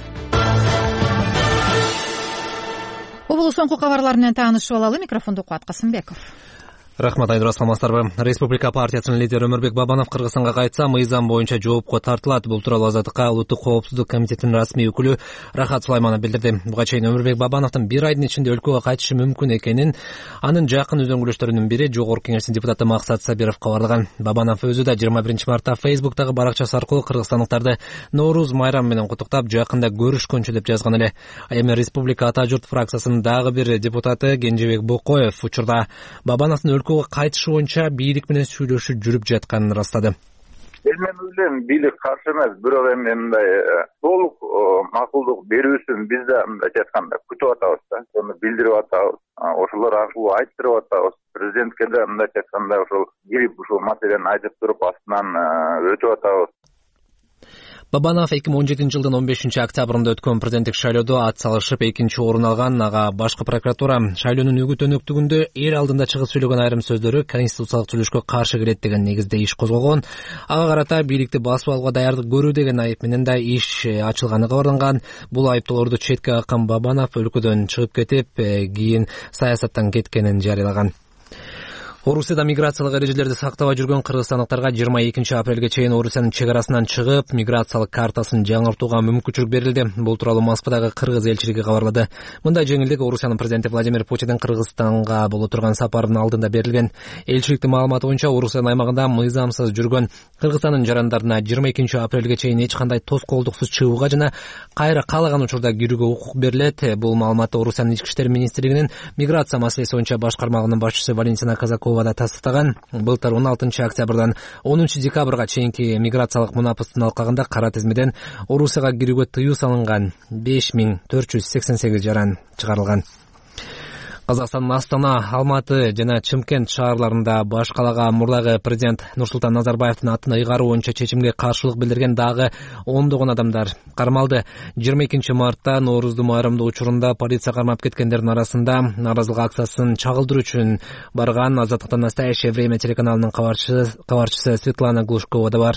Обулу соңку кабарлар менен таанышып алалы. Микрофондо Кубат Касымбеков. Рахмат, Айнура, саламатсыздарбы? Республика партиясынын лидери Өмүрбек Бабанов Кыргызстанга кайтса, мыйзам боюнча жоопко тартылат. Бул тууралуу Азаттыкка улуттук коопсуздук комитетинин расмий өкүлү Рахат Сулайманов билдирди. Буга чейин Өмүрбек Бабановдун бир айдын ичинде өлкөгө кайтышы мүмкүн экенин анын жакын үзөңгүлөштөрүнүн бири Жогорку Кеңештин депутаты Максат Сабиров кабарлаган. Бабанов өзү да 21 мартта Фейсбуктагы баракчасы аркылуу кыргызстандыктарды Нооруз майрамы менен куттуктап, жакында көрүшкөнчү деп жазган эле. Эми Республика Ата журт фракциясынын дагы бир депутаты Кенжебек Бокоев учурда Бабановдун өлкөгө кайтышы боюнча бийлик менен сүйлөшүү жүрүп жатканын ырастады. Мен ойлойм, бийлик каршы эмес, бирок эми мындай толук макулдук берүүсүн биз да мындай айтканда күтүп атабыз да. Аны билдирип атабыз. Ошолор аркылуу айттырып атабыз. Президентке да мындай айтканда ошол кирип ушул маселени айтып туруп астынан өтүп атабыз. Бабанов 2017 жылдын 15 октябрында өткөн президенттик шайлоодо ат салышып экинчи орун алган. Ага башкы прокуратура шайлоонун үгүт-өнөктүгүндө эл алдында чыгып сүйлөгөн айрым сөздөрү конституциялык түзүлүшкө каршы келет деген негизде иш козголгон. Ага карата бийликти басып алууга даярдык көрүү деген айып менен да иш ачылганы кабарланган. Бул айыптоолорду четке каккан Бабанов өлкөдөн чыгып кетип, кийин саясаттан кеткенин жарыялаган. Орусияда миграциялык эрежелерди сактабай жүргөн кыргызстандыктарга 22 апрелге чейин Орусиянын чек арасынан чыгып, миграциялык картасын жаңыртууга мүмкүнчүлүк берилди. Бул тууралуу Москвадагы кыргыз элчилиги кабарлады. Мындай жеңилдик Орусиянын президенти Владимир Путиндин Кыргызстанга боло турган сапарынын алдында берилген. Элчиликтин маалыматы боюнча Орусиянын аймагында мыйзамсыз жүргөн Кыргызстандын жарандарына 22 апрелге чейин эч кандай тоскоолдуксуз чыгууга жана кайра каалаган учурда кирүүгө укук берилет. Бул маалыматты Орусиянын ички иштер министрлигинин миграция маселеси боюнча башкармагынын башчысы Валентина Казакова да тастыктаган. Былтыр 16 октябрдан 10 декабрга чейинки миграциялык мунапыстын алкагында кара тизмеден Орусияга кирүүгө тыюу салынган 5488 жаран чыгарылган. Казакстандын Астана, Алматы жана Чымкент шаарларында баш калаага мурдагы президент Нурсултан Назарбаевдин атын ыйгаруу боюнча чечимге каршылык билдирген дагы ондогон адамдар кармалды. 22 мартта Ноорузду майрамдоо учурунда полиция кармап кеткендердин арасында нааразылык акциясын чагылдыруу үчүн барган Азаттыктан Настоящее время телеканалынын кабарчысы Светлана Глушкова да бар.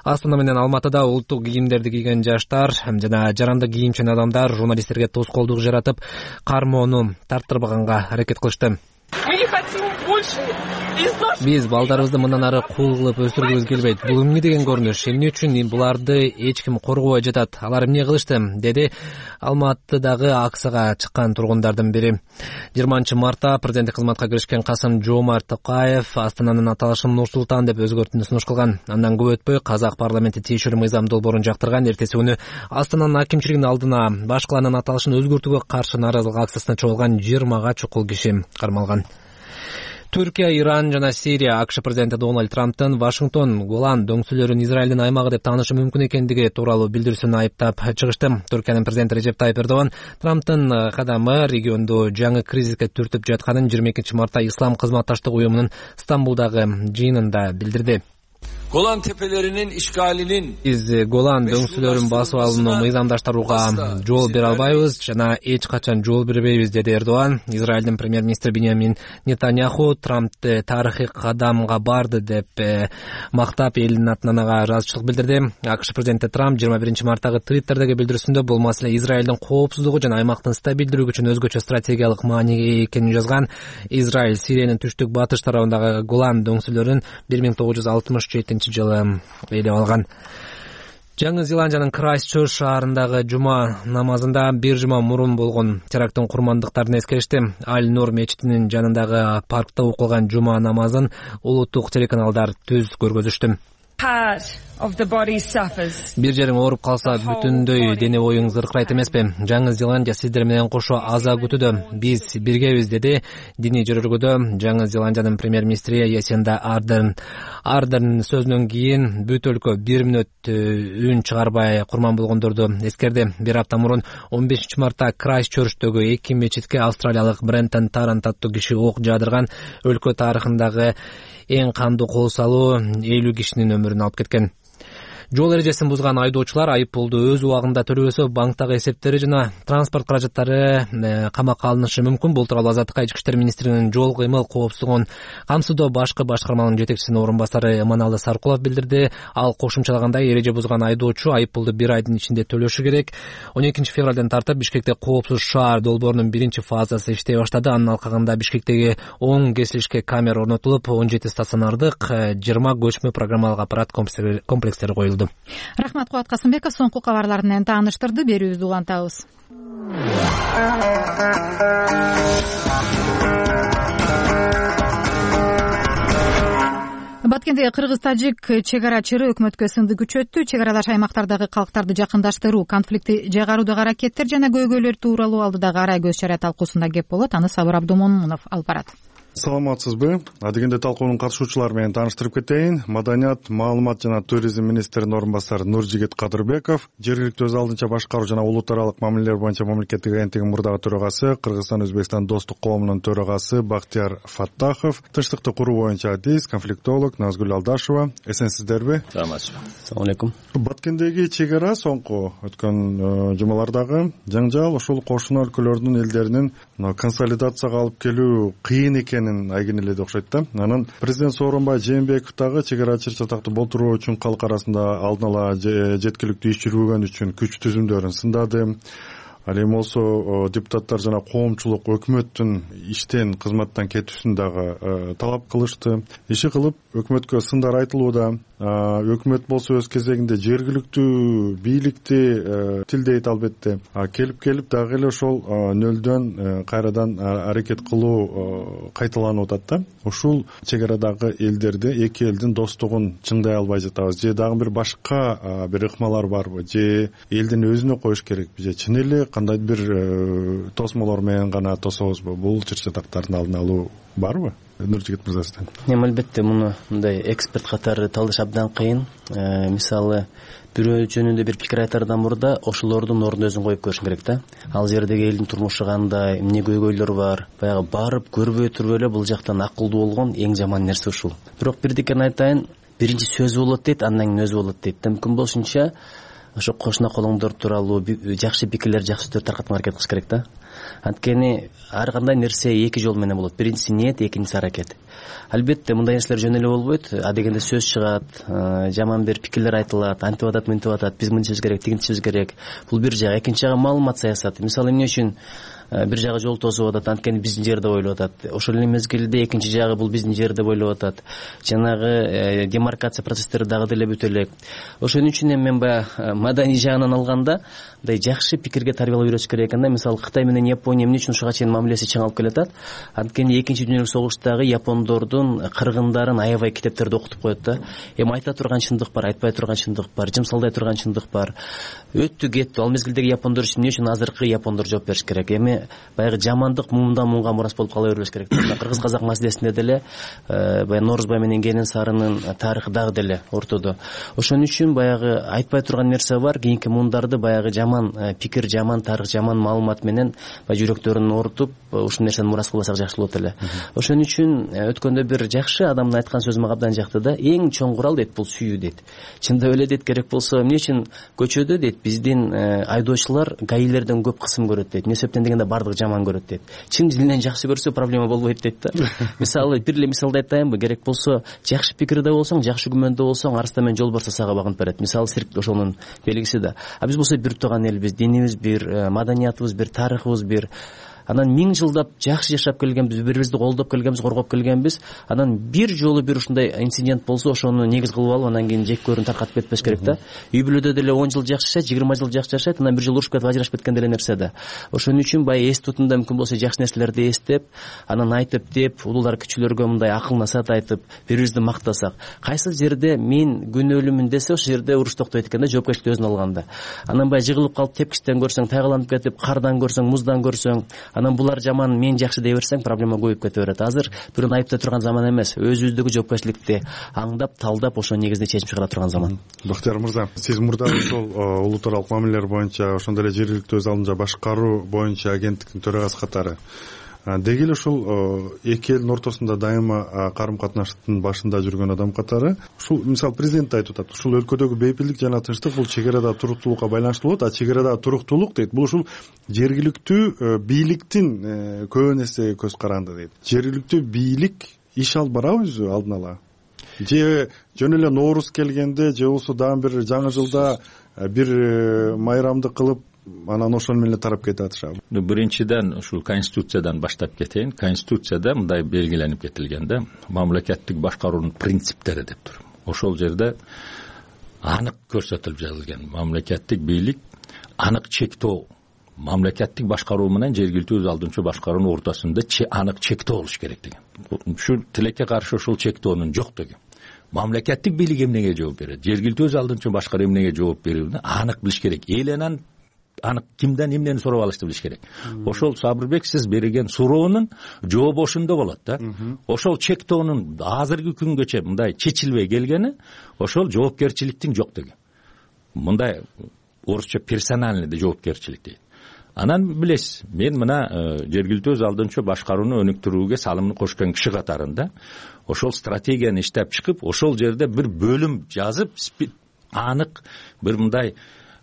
Астана менен Алматыда улуттук кийимдерди кийген жаштар жана жарандык кийимчен адамдар журналисттерге тоскоолдук жаратып, кармоону тарттырбаганга аракет кылышты. Биз балдарыбызды мындан ары кул кылып өстүргүбүз келбейт. Бул эмне деген көрүнүш? Эмне үчүн буларды эч ким коргобой жатат? Алар эмне кылышты? Деди Алматыдагы акцияга чыккан тургундардын бири. 20 мартта президенттик кызматка киришкен Касым-Жомарт Токаев Астананын аталышын Нур-Султан деп өзгөртүүнү сунуш кылган. Андан көп өтпөй казак парламенти тиешелүү мыйзам долбоорун жактырган. Эртеси күнү Астананын акимчилигинин алдына баш калаанын аталышын өзгөртүүгө каршы нааразылык акциясына чогулган 20га чукул киши кармалган. Түркия, Иран жана Сирия АКШ президенти Дональд Трамптын Вашингтон Голан дөңсүлөрүн Израилдин аймагы деп таанышы мүмкүн экендиги тууралуу билдирүүсүн айыптап чыгышты. Түркиянын президенти Режеп Тайып Эрдоган Трамптын кадамы регионду жаңы кризиске түртүп жатканын 22 мартта Ислам кызматташтык уюмунун Стамбулдагы жыйынында билдирди. Golan tepelerinin işgalinin Биз Голан дөңсүлөрүн басып алууну мыйзамдаштырууга жол бере албайбыз жана эч качан жол бербейбиз, деди Эрдоган. Израилдин премьер-министри Биньямин Нетаньяху Трампты тарыхый кадамга барды деп мактап элдин атынан ага ыраазычылык билдирди. АКШ президенти Трамп 21 марттагы Твиттердеги билдирүүсүндө бул маселе Израилдин коопсуздугу жана аймактын стабилдүүлүгү үчүн өзгөчө стратегиялык мааниге экенин жазган. Израиль Сириянын түштүк батыш тарабындагы Голан дөңсүлөрүн 1967 жылы ээлеп алган. Жаңы Зеландиянын Крайстчерч шаарындагы жума намазында бир жума мурун болгон теракттын курмандыктарын эскеришти. Аль-Нур мечитинин жанындагы паркта окулган жума намазын улуттук телеканалдар түз көргөзүштү. Бир жериң ооруп калса бүтүндөй дене боюң зыркырайт эмеспи? Жаңы Зеландия сиздер менен кошо аза күтүүдө. Биз биргебиз, деди диний жөрөлгөдө Жаңы Зеландиянын премьер-министри Ясинда Ардерн. Ардерн сөзүнөн кийин бүт өлкө 1 мүнөт үн чыгарбай курман болгондорду эскерди. Бир апта мурун 15 мартта Крайстчерчтөгү 2 мечитке австралиялык Брентон Тарант аттуу киши ок жаадырган. Өлкө тарыхындагы эң кандуу кол салуу 50 кишинин өмүрүн алып кеткен. Жол эрежесин бузган айдоочулар айыппулду өз убагында төлөбөсө банктагы эсептери жана транспорт каражаттары камакка алынышы мүмкүн. Бул тууралуу Азаттыкка ички иштер министринин жол кыймыл коопсуздугун камсыздоо башкы башкарманын жетекчисинин орун басары Эманалды Саркулов билдирди. Ал кошумчалагандай эреже бузган айдоочу айыппулду 1 айдын ичинде төлөшү керек. 12 февралдан тартып Бишкекте коопсуз шаар долбоорунун 1-фазасы иштей баштады. Анын алкагында Бишкектеги 10 кесилишке камера орнотулуп, 17 стационардык, 20 көчмө программалык аппарат комплекстери коюлду. Рахмат, Кубат Касымбеков соңку кабарлар менен тааныштырды. Берүүбүздү улантабыз. Баткендеги кыргыз-тажик чек ара чыры өкмөткө сынды күчөттү. Чек аралаш аймактардагы калктарды жакындаштыруу, конфликти жайгаруудагы аракеттер жана көйгөйлөр тууралуу алдыдагы арай көз чара талкуусунда кеп болот. Аны Сабыр Абдумомунов алып барат. Саламатсызбы? Адегенде талкуунун катышуучулары менен тааныштырып кетейин. Маданият, маалымат жана туризм министринин орун басары Нуржигит Кадырбеков, жергиликтүү өз алдынча башкаруу жана улут аралык мамилелер боюнча мамлекеттик агенттигинин мурдагы төрагасы, Кыргызстан Өзбекстан достук коомунун төрагасы Бактияр Фаттахов, тынчтыкты куруу боюнча адис, конфликтолог Назгүл Алдашева. Эсенсиздерби? Саламатсызбы. Assalamu alaikum. Баткендеги чек ара соңку өткөн жумалардагы жаңжал ушул кошуна өлкөлөрдүн элдеринин консолидацияга алып келүү кыйын экенин айгинеледи окшойт да. Анан президент Сооронбай Жээнбеков дагы чек ара чыр-чатакты болтуруу үчүн калк арасында алдын ала жеткиликтүү иш жүргүзгөн үчүн күч түзүмдөрүн сындады. Ал эми болсо депутаттар жана коомчулук өкмөттүн иштен кызматтан кетүүсүн дагы талап кылышты. Иши кылып өкмөткө сындар айтылууда. Өкмөт болсо өз кезегинде жергиликтүү бийликти тилдейт албетте. Келип дагы эле ошол нөлдөн кайрадан аракет кылуу кайталанып атат да. Ушул чек арадагы элдерди, эки элдин достугун чыңдай албай жатабыз. Же дагы бир башка бир ыкмалар барбы? Же элдин өзүнө коюш керекпи? Же чын эле кандай бир тосмолор менен гана тособузбу? Бул чыр-чатактардын алдын алуу барбы? Нуржигит мырза сизден. Албетте муну мындай эксперт катары талдаш абдан кыйын. Мисалы бирөө жөнүндө бир пикир айтардан мурда ошолордун ордуна өзүн коюп көрүш керек да. Ал жердеги элдин турмушу кандай, эмне көйгөйлөр бар, баягы барып көрбөй туруп эле бул жактан акылдуу болгон эң жаман нерсе ушул. Бирок бирдикени айтайын, биринчи сөз болот дейт, андан кийин өзү болот дейт. Мүмкүн болушунча ошо кошуна колоңдор тууралуу жакшы пикирлер, жакшы сөздөр таркатууга аракет кылыш керек да. Анткени ар кандай нерсе эки жол менен болот. Биринчиси ниет, экинчиси аракет. Албетте мындай нерселер жөн эле болбойт. Адегенде сөз чыгат, жаман бир пикирлер айтылат, антип атат, мынтип атат, биз мынтишибиз керек, тигинтишибиз керек. Бул бир жак. Экинчи жагы маалымат саясаты. Мисалы эмне үчүн бир жагы жол тосуп атат, анткени биздин жер деп ойлоп атат. Ошол эле мезгилде экинчи жагы бул биздин жер деп ойлоп атат. Жанагы демаркация процесстери дагы деле бүтө элек. Ошон үчүн эми мен баягы маданий жагынан алганда мындай жакшы пикирге тарбиялап үйрөтүш керек экен да. Мисалы Кытай менен менен Япония эмне үчүн ушуга чейин мамилеси чаң алып келатат? Анткени Экинчи дүйнөлүк согуштагы япондордун кыргындарын аябай китептерде окутуп коет да. Эми айта турган чындык бар, айтпай турган чындык бар, жымсалдай турган чындык бар. Өттү кеттү. Ал мезгилдеги япондор үчүн эмне үчүн азыркы япондор жооп бериш керек? Эми баягы жамандык мумдан мумга мурас болуп кала бербеш керек. Кыргыз казак маселесинде деле баягы Норузбай менен Кенен Сарынын тарыхы дагы деле ортодо. Ошон үчүн баягы айтпай турган нерсе бар. Кийинки мундарды баягы жаман пикир, жаман тарых, жаман маалымат менен жүрөктөрүн оорутуп, ушул нерсени мурас кылбасак жакшы болот эле. Ошон үчүн өткөндө бир жакшы адамдын айткан сөзү мага абдан жакты да. Эң чоң курал дейт, бул сүйүү дейт. Чындап эле дейт, керек болсо эмне үчүн көчөдө дейт биздин айдоочулар гаилерден көп кысым көрөт дейт. Эмне себептен дегенде бардыгы жаман көрөт дейт. Чын дилинен жакшы көрсө проблема болбойт дейт да. Мисалы бир эле мисалды айтайынбы? Керек болсо жакшы пикирде болсоң, жакшы күмөндө болсоң, арыста менен жолбарс сага багынып берет. Мисалы цирк ошонун белгиси да. А биз болсо бир тууган элбиз, динибиз бир, маданиятыбыз бир, тарыхыбыз бир. Анан 1000 жылдап жакшы жашап келгенбиз, бири-бирибизди колдоп келгенбиз, коргоп келгенбиз. Анан бир жолу бир ушундай инцидент болсо, ошону негиз кылып алып, анан кийин жек-көрүн таркатып кетпеш керек да. Үй бүлөдө деле 10 жыл жакшы жашайт, 20 жыл жакшы жашайт, анан бир жолу урушуп кетип ажырашып кеткен деле нерсе да. Ошон үчүн баягы эс тутумда мүмкүн болсо жакшы нерселерди эстеп, анан айтып деп, улуулар кичүүлөргө мындай акыл насаат айтып, бири-бирибизди мактасак, кайсы жерде мен күнөөлүүмүн десе, ошол жерде уруш токтойт экен да, жоопкерчиликти өзүнө алганда. Анан баягы жыгылып калып тепкичтен көрсөң, тайгаланып кетип, кардан көрсөң, муздан көрсөң, анан булар жаман, мен жакшы дей берсең, проблема көбөйүп кете берет. Азыр бирөөнү айыптай турган заман эмес, өзүбүздөгү жоопкерчиликти аңдап, талдап, ошо негизинде чечим чыгара турган заман. Бактияр мырза, сиз мурда ошол улуттаралык мамилелер боюнча, ошондой эле жергиликтүү өз алдынча башкаруу боюнча агенттиктин төрагасы катары деги эле ушул эки элдин ортосунда дайыма карым катнаштын башында жүргөн адам катары, ушул мисалы президент да айтып атат, ушул өлкөдөгү бейпилдик жана тынчтык бул чек арадагы туруктуулукка байланыштуу болот, а чек арадагы туруктуулук дейт, бул ушул жергиликтүү бийликтин көбүн эсе көз каранды дейт. Жергиликтүү бийлик иш алып барабы өзү алдын ала? Же жөн эле Нооруз келгенде, же болбосо дагы бир жаңы жылда бир майрамды кылып, анан ошону менен тарап кете атышабы? Биринчиден ушул конституциядан баштап кетейин. Конституцияда мындай белгиленип кетилген да, мамлекеттик башкаруунун принциптери деп туруп. Ошол жерде анык көрсөтүлүп жазылган. Мамлекеттик бийлик анык чектөө, мамлекеттик башкаруу менен жергиликтүү өз алдынча башкаруунун ортосунда анык чектөө болуш керек деген. Ушул тилекке каршы ушул чектөөнүн жок деген. Мамлекеттик бийлик эмнеге жооп берет? Жергиликтүү өз алдынча башкаруу эмнеге жооп берүүнү анык билиш керек. Элен анык кимден эмнени сурап алышты билиш керек. Ошол Сабырбек сиз берген суроонун жообу ошондо болот да. Ошол чектөөнүн азыркы күнгөчө мындай чечилбей келгени, ошол жоопкерчиликтин жок деген. Мындай орусча персональный жоопкерчилик дейт. Анан билесиз, мен мына жергиликтүү өз алдынча башкарууну өнүктүрүүгө салымын кошкон киши катарында ошол стратегияны иштеп чыгып, ошол жерде бир бөлүм жазып, анык бир мындай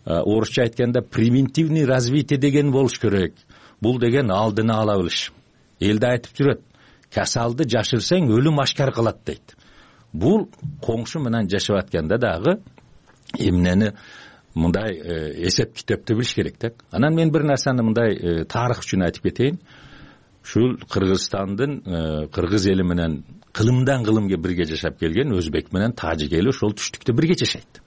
орусча айтканда превентивный развитие деген болуш керек. Бул деген алдыны ала билиш. Элде айтып жүрөт, касалды жашырсаң өлүм ашкар кылат дейт. Бул коңшу менен жашап атканда дагы эмнени мындай эсеп китепти билиш керек да. Анан мен бир нерсени мындай тарых үчүн айтып кетейин. Ушул Кыргызстандын кыргыз эли менен кылымдан кылымга бирге жашап келген өзбек менен тажик эли ошол түштүктө бирге жашайт.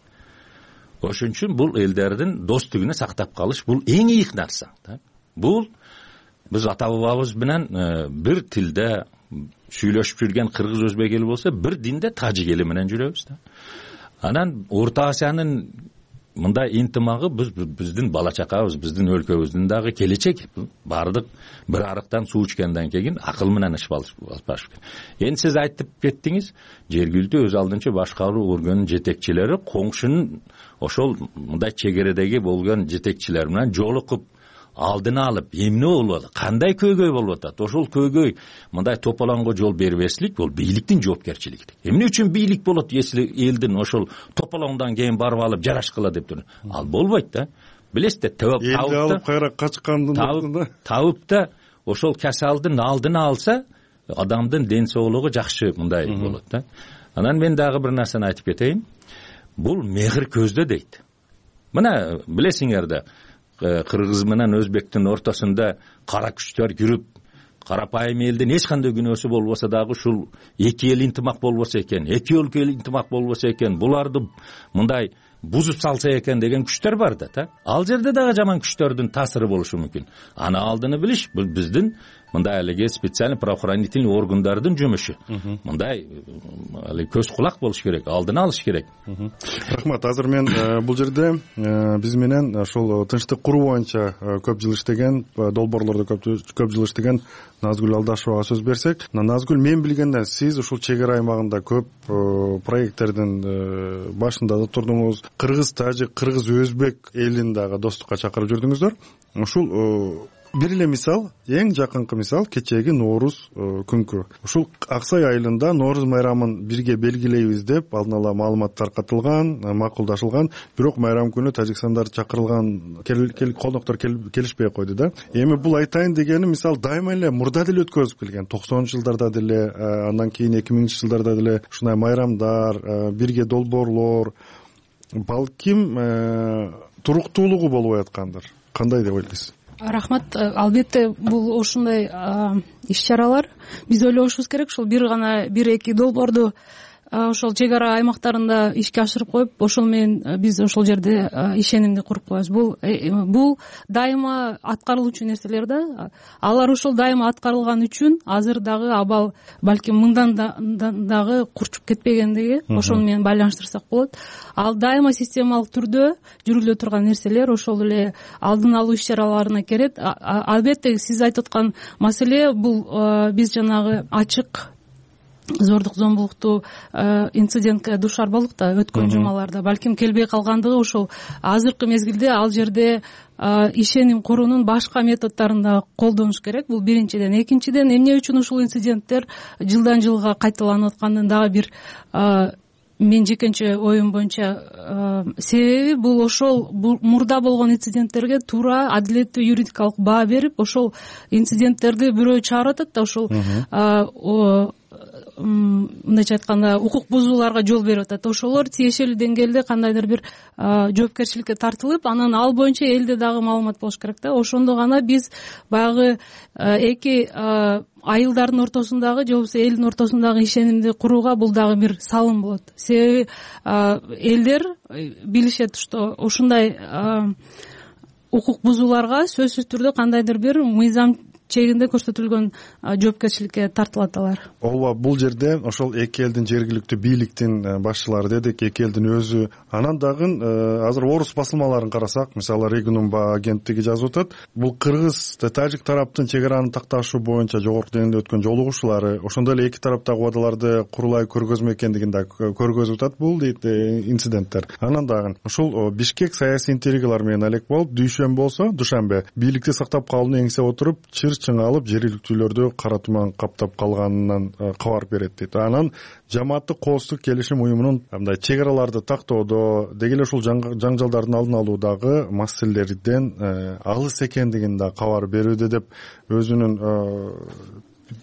Ошон үчүн бул элдердин достугуну сактап калыш бул эң ийик нерсе. Бул биз ата бабабыз менен бир тилде сүйлөшүп жүргөн кыргыз өзбек эли болсо, бир динде тажик эли менен жүрөбүз да. Анан Орто Азиянын мындай интимагы биздин бала чакабыз, биздин өлкөбүздүн дагы келечеги. Бардык бир арыктан суу ичкенден кийин акыл менен иш алыш керек. Эми сиз айтып кеттиңиз, жергиликтүү өз алдынча башкаруу органынын жетекчилери коңшунун ошол мындай чегередеги болгон жетекчилер менен жолугуп алдын алып, эмне болуп атат, кандай көйгөй болуп атат, ошол көйгөй мындай тополоңго жол бербешлик бул бийликтин жоопкерчилиги. Эмне үчүн бийлик болот, если элдин ошол тополоңдон кийин барып алып жарашкыла деп туруп? Ал болбойт да. Билесиздер, элди алып кайра качкандын табып да ошол касалдын алдын алса, адамдын ден соолугу жакшы мындай болот да. Анан мен дагы бир нерсени айтып кетейин. Бул мехир көздө дейт. Мына билесиңер да, кыргыз менен өзбектин ортосунда кара күчтөр жүрүп, карапайым элдин эч кандай күнөөсү болбосо дагы ушул эки эл интимак болбосо экен, эки өлкө интимак болбосо экен, буларды мындай бузуп салса экен деген күчтөр бар да. Ал жерде дагы жаман күчтөрдүн таасиры болушу мүмкүн. Аны алдыны билиш бул биздин мындай эле специальный правоохранительный органдардын жумушу. Мындай көз кулак болуш керек, алдын алыш керек. Рахмат. Азыр мен бул жерде биз менен ошол тынчтык куруу боюнча көп жыл иштеген, долбоорлордо көп жыл иштеген Назгүл Алдашевага сөз берсек. Назгүл, мен билгенден сиз ушул чек ара аймагында көп проекттердин башында да турдуңуз. Кыргыз, тажик, кыргыз, өзбек элин дагы достукка чакырып жүрдүңүздөр. Ушул бир эле мисал, эң жакынкы мисал кечээги Нооруз күнкү. Ушул Аксай айылында Нооруз майрамын бирге белгилейбиз деп алдын ала маалымат таркатылган, макулдашылган. Бирок майрам күнү тажикстандар чакырылган коноктор келишпей койду да. Эми бул айтайын дегени мисал дайыма эле мурда деле өткөрүлүп келген. 90-жылдарда деле, андан кийин 2000-жылдарда деле ушундай майрамдар, бирге долбоорлор балким туруктуулугу болбой аткандыр. Кандай деп ойлойсуз? Рахмат. Албетте бул ушундай иш-чаралар биз ойлошубуз керек. Ушул бир эки долбоорду ошол чек ара аймактарында ишке ашырып коюп, ошол менен биз ошол жерде ишенимди куруп коебуз. Бул дайыма аткарылуучу нерселер да. Алар ошол дайыма аткарылган үчүн азыр дагы абал балким мыңдан дагы курчуп кетпегендиги ошону менен байланыштырсак болот. Ал дайыма системалык түрдө жүрүлө турган нерселер ошол эле алдын алуу иш-чараларына кирет. Албетте сиз айтып аткан маселе бул биз жанагы ачык зордук зомбулуктуу инцидентке дуушар болдук да өткөн жумаларда. Балким келбей калгандыгы ошол азыркы мезгилде ал жерде ишеним куруунун башка методдорун да колдонуш керек. Бул биринчиден. Экинчиден, эмне үчүн ушул инциденттер жылдан жылга кайталанып атканын дагы бир мен жекенче оюм боюнча себеби бул ошол мурда болгон инциденттерге туура адилеттүү юридикалык баа берип, ошол инциденттерди бирөө чыгарып атат да ошол мындайча айтканда укук бузууларга жол берип атат. Ошолор тиешелүү деңгээлде кандайдыр бир жоопкерчиликке тартылып, анан ал боюнча элде дагы маалымат болуш керек да. Ошондо гана биз баягы эки айылдардын ортосундагы же болбосо элдин ортосундагы ишенимди курууга бул дагы бир салым болот. Себеби элдер билишет, что ушундай укук бузууларга сөзсүз түрдө кандайдыр бир мыйзам чегинде көрсөтүлгөн жоопкерчиликке тартылат алар. Ооба, бул жерде ошол эки элдин жергиликтүү бийликтин башчылары дедик, эки элдин өзү. Анан дагы азыр орус басылмаларын карасак, мисалы Регнум агенттиги жазып атат, бул кыргыз, тажик тараптын чек араны такташуу боюнча жогорку деңгээлде өткөн жолугушуулары, ошондой эле эки тараптагы убадаларды курулай көргөзмө экендигин да көргөзүп атат бул дейт инциденттер. Анан дагы ушул Бишкек саясий интригалар менен алек болуп, дүйшөмбе бийликти сактап калууну эңсеп отуруп, чыңы алып жергиликтүүлөрдү кара туман каптап калганынан кабар берет дейт. Анан жамааттык коопсуздук келишим уюмунун мындай чек араларды тактоодо, деги эле ушул жаңжалдардын алдын алуудагы маселелерден алыс экендигин да кабар берүүдө деп өзүнүн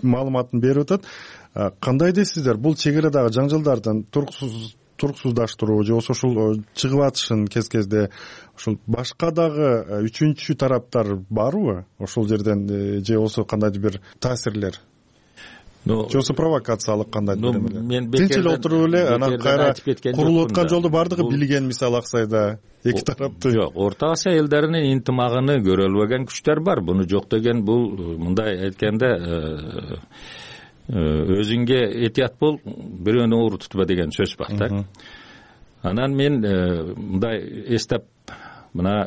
маалыматын берип атат. Кандай дейсиздер, бул чек арадагы жаңжалдардын туруксуздаштыруу же болбосо ушул чыгып атышын кезде ушул башка дагы үчүнчү тараптар барбы ошол жерден, же болбосо кандайдыр бир таасирлер, же болбосо провокациялык кандайдыр бир эмелер? Тинч эле отуруп эле анан кайра курулуп аткан жолду бардыгы билген, мисалы Аксайда эки тарапты. Жок, Орто Асия элдеринин интимагын көрө албаган күчтөр бар. Буну жок деген бул мындай айтканда өзүңө этият бол, бирөөнү оор тутпа деген сөз бар да. Анан мен мындай эстеп, мына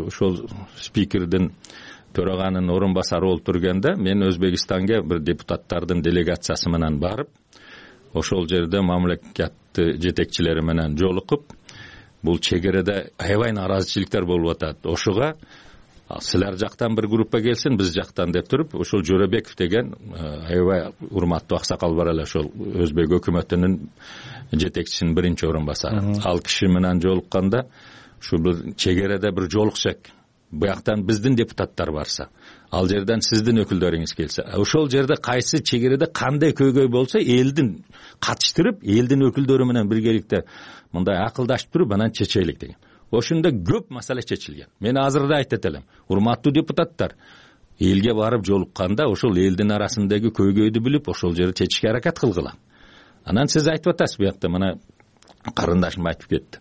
ошол спикердин төраганын орун басары болуп турганда, мен Өзбекстанга бир депутаттардын делегациясы менен барып, ошол жерде мамлекеттик жетекчилери менен жолугуп, бул чек арада аябай нааразычылыктар болуп атат. Ошого силер жактан бир группа келсин, биз жактан деп туруп, ошол Жорабеков деген аябай урматтуу аксакал бар эле, ошол Өзбек өкмөтүнүн жетекчисинин биринчи орун басары. Ал киши менен жолукканда, ушу бир чек арада бир жолуксак, буяктан биздин депутаттар барса, ал жерден сиздин өкүлдөрүңүз келсе, ошол жерде кайсы чек арада кандай көйгөй болсо, элдин катыштырып, элдин өкүлдөрү менен биргеликте мындай акылдашып туруп, анан чечелик деген. Ошондо көп маселе чечилген. Мен азыр да айтып атам, урматтуу депутаттар, элге барып жолукканда ошол элдин арасындагы көйгөйдү билип, ошол жерди чечишке аракет кылгыла. Анан сиз айтып атасыз, буякта мына карындашым айтып кетти.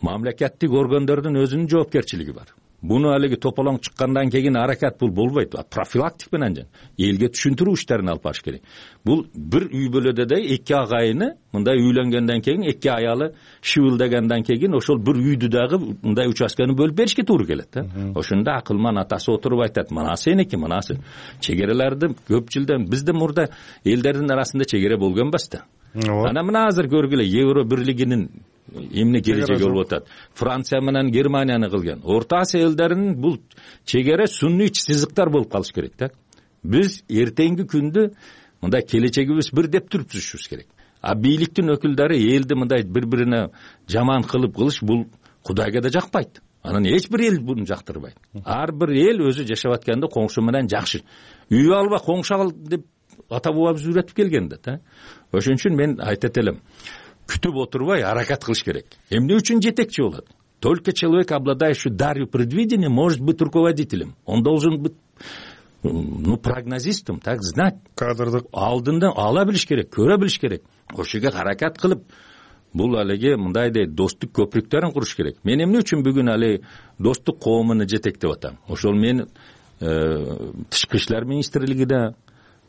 мамлекеттик органдардын өзүнүн жоопкерчилиги бар. Буну алиги тополоң чыккандан кийин аракет бул болбойт. Профилактик менен элге түшүндүрүү иштерин алып барыш керек. Бул бир үй бүлөдө да эки агайыны мындай үйлөнгөндөн кийин, эки аялы шыбылдагандан кийин ошол бир үйдү дагы мындай участканы бөлүп беришке туура келет. Ошондо акылман атасы отуруп айтат: мына сеники, мына сен. Чегерелерди көп жылдан бизде мурда элдердин арасында чегере болгон эмес да. Ана мына азыр көргүлө Евро бирлигинин эмне келечеги болуп атат. Франция менен Германияны кылган. Орто Азия элдеринин бул чегере сунный сызыктар болуп калыш керек да. Биз эртеңки күндө мындай келечегибиз бир деп турушубуз керек. А бийликтин өкүлдөрү элди мындай бири-бирине жаман кылыш бул Кудайга да жакпайт. Анан эч бир эл буну жактырбайт. Ар бир эл өзү жашап атканда коңшу менен жакшы. Үй алба, коңшу ал деп ата бабабыз үйрөтүп келген да. Ошон үчүн мен айтат элем, күтүп отурбай аракет кылыш керек. Эмне үчүн жетекчи болот? Только человек, обладающий дарью предвидения, может быть руководителем. Он должен быть прогнозистом, так знать. Кадрдык алдында ала билиш керек, көрө билиш керек. Ошого аракет кылып, бул алиги мындайдай достук көпүрүктөрүн куруш керек. Мен эмне үчүн бүгүн али достук коомуну жетектеп атам? Ошол мен тышкы иштер министрлигиде,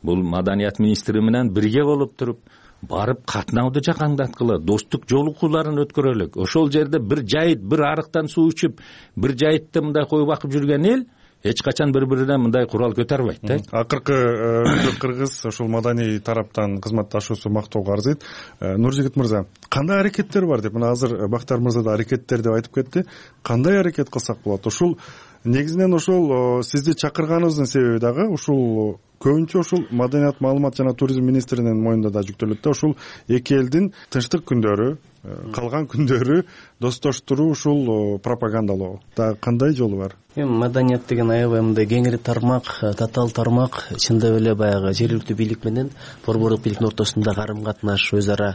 бул маданият министри менен бирге болуп туруп, барып катнауду жакаңдаткыла, достук жолугууларын өткөрөлүк. Ошол жерде бир жайыт, бир арыктан суу ичип, бир жайытты мындай коюп акып жүргөн эл эч качан бири-бирине мындай курал көтөрбөйт да. Акыркы кыргыз ошол маданий тараптан кызматташуусу мактоого арзыйт. Нуржигит мырза, кандай аракеттер бар деп, мына азыр Бактар мырза да аракеттер деп айтып кетти. Кандай аракет кылсак болот? Ушул негизинен ошол сизди чакырганыбыздын себеби дагы ушул көбүнчө ушул маданият, маалымат жана туризм министринин мойнунда да жүктөлөт да. Ушул эки элдин тынчтык күндөрү, калган күндөрү достоштуруу, ушул пропагандалоо да кандай жолу бар? Маданият деген аябай мындай кеңири тармак, татаал тармак. Чындап эле баягы жергиликтүү бийлик менен борбордук бийликтин ортосунда карым катнаш, өз ара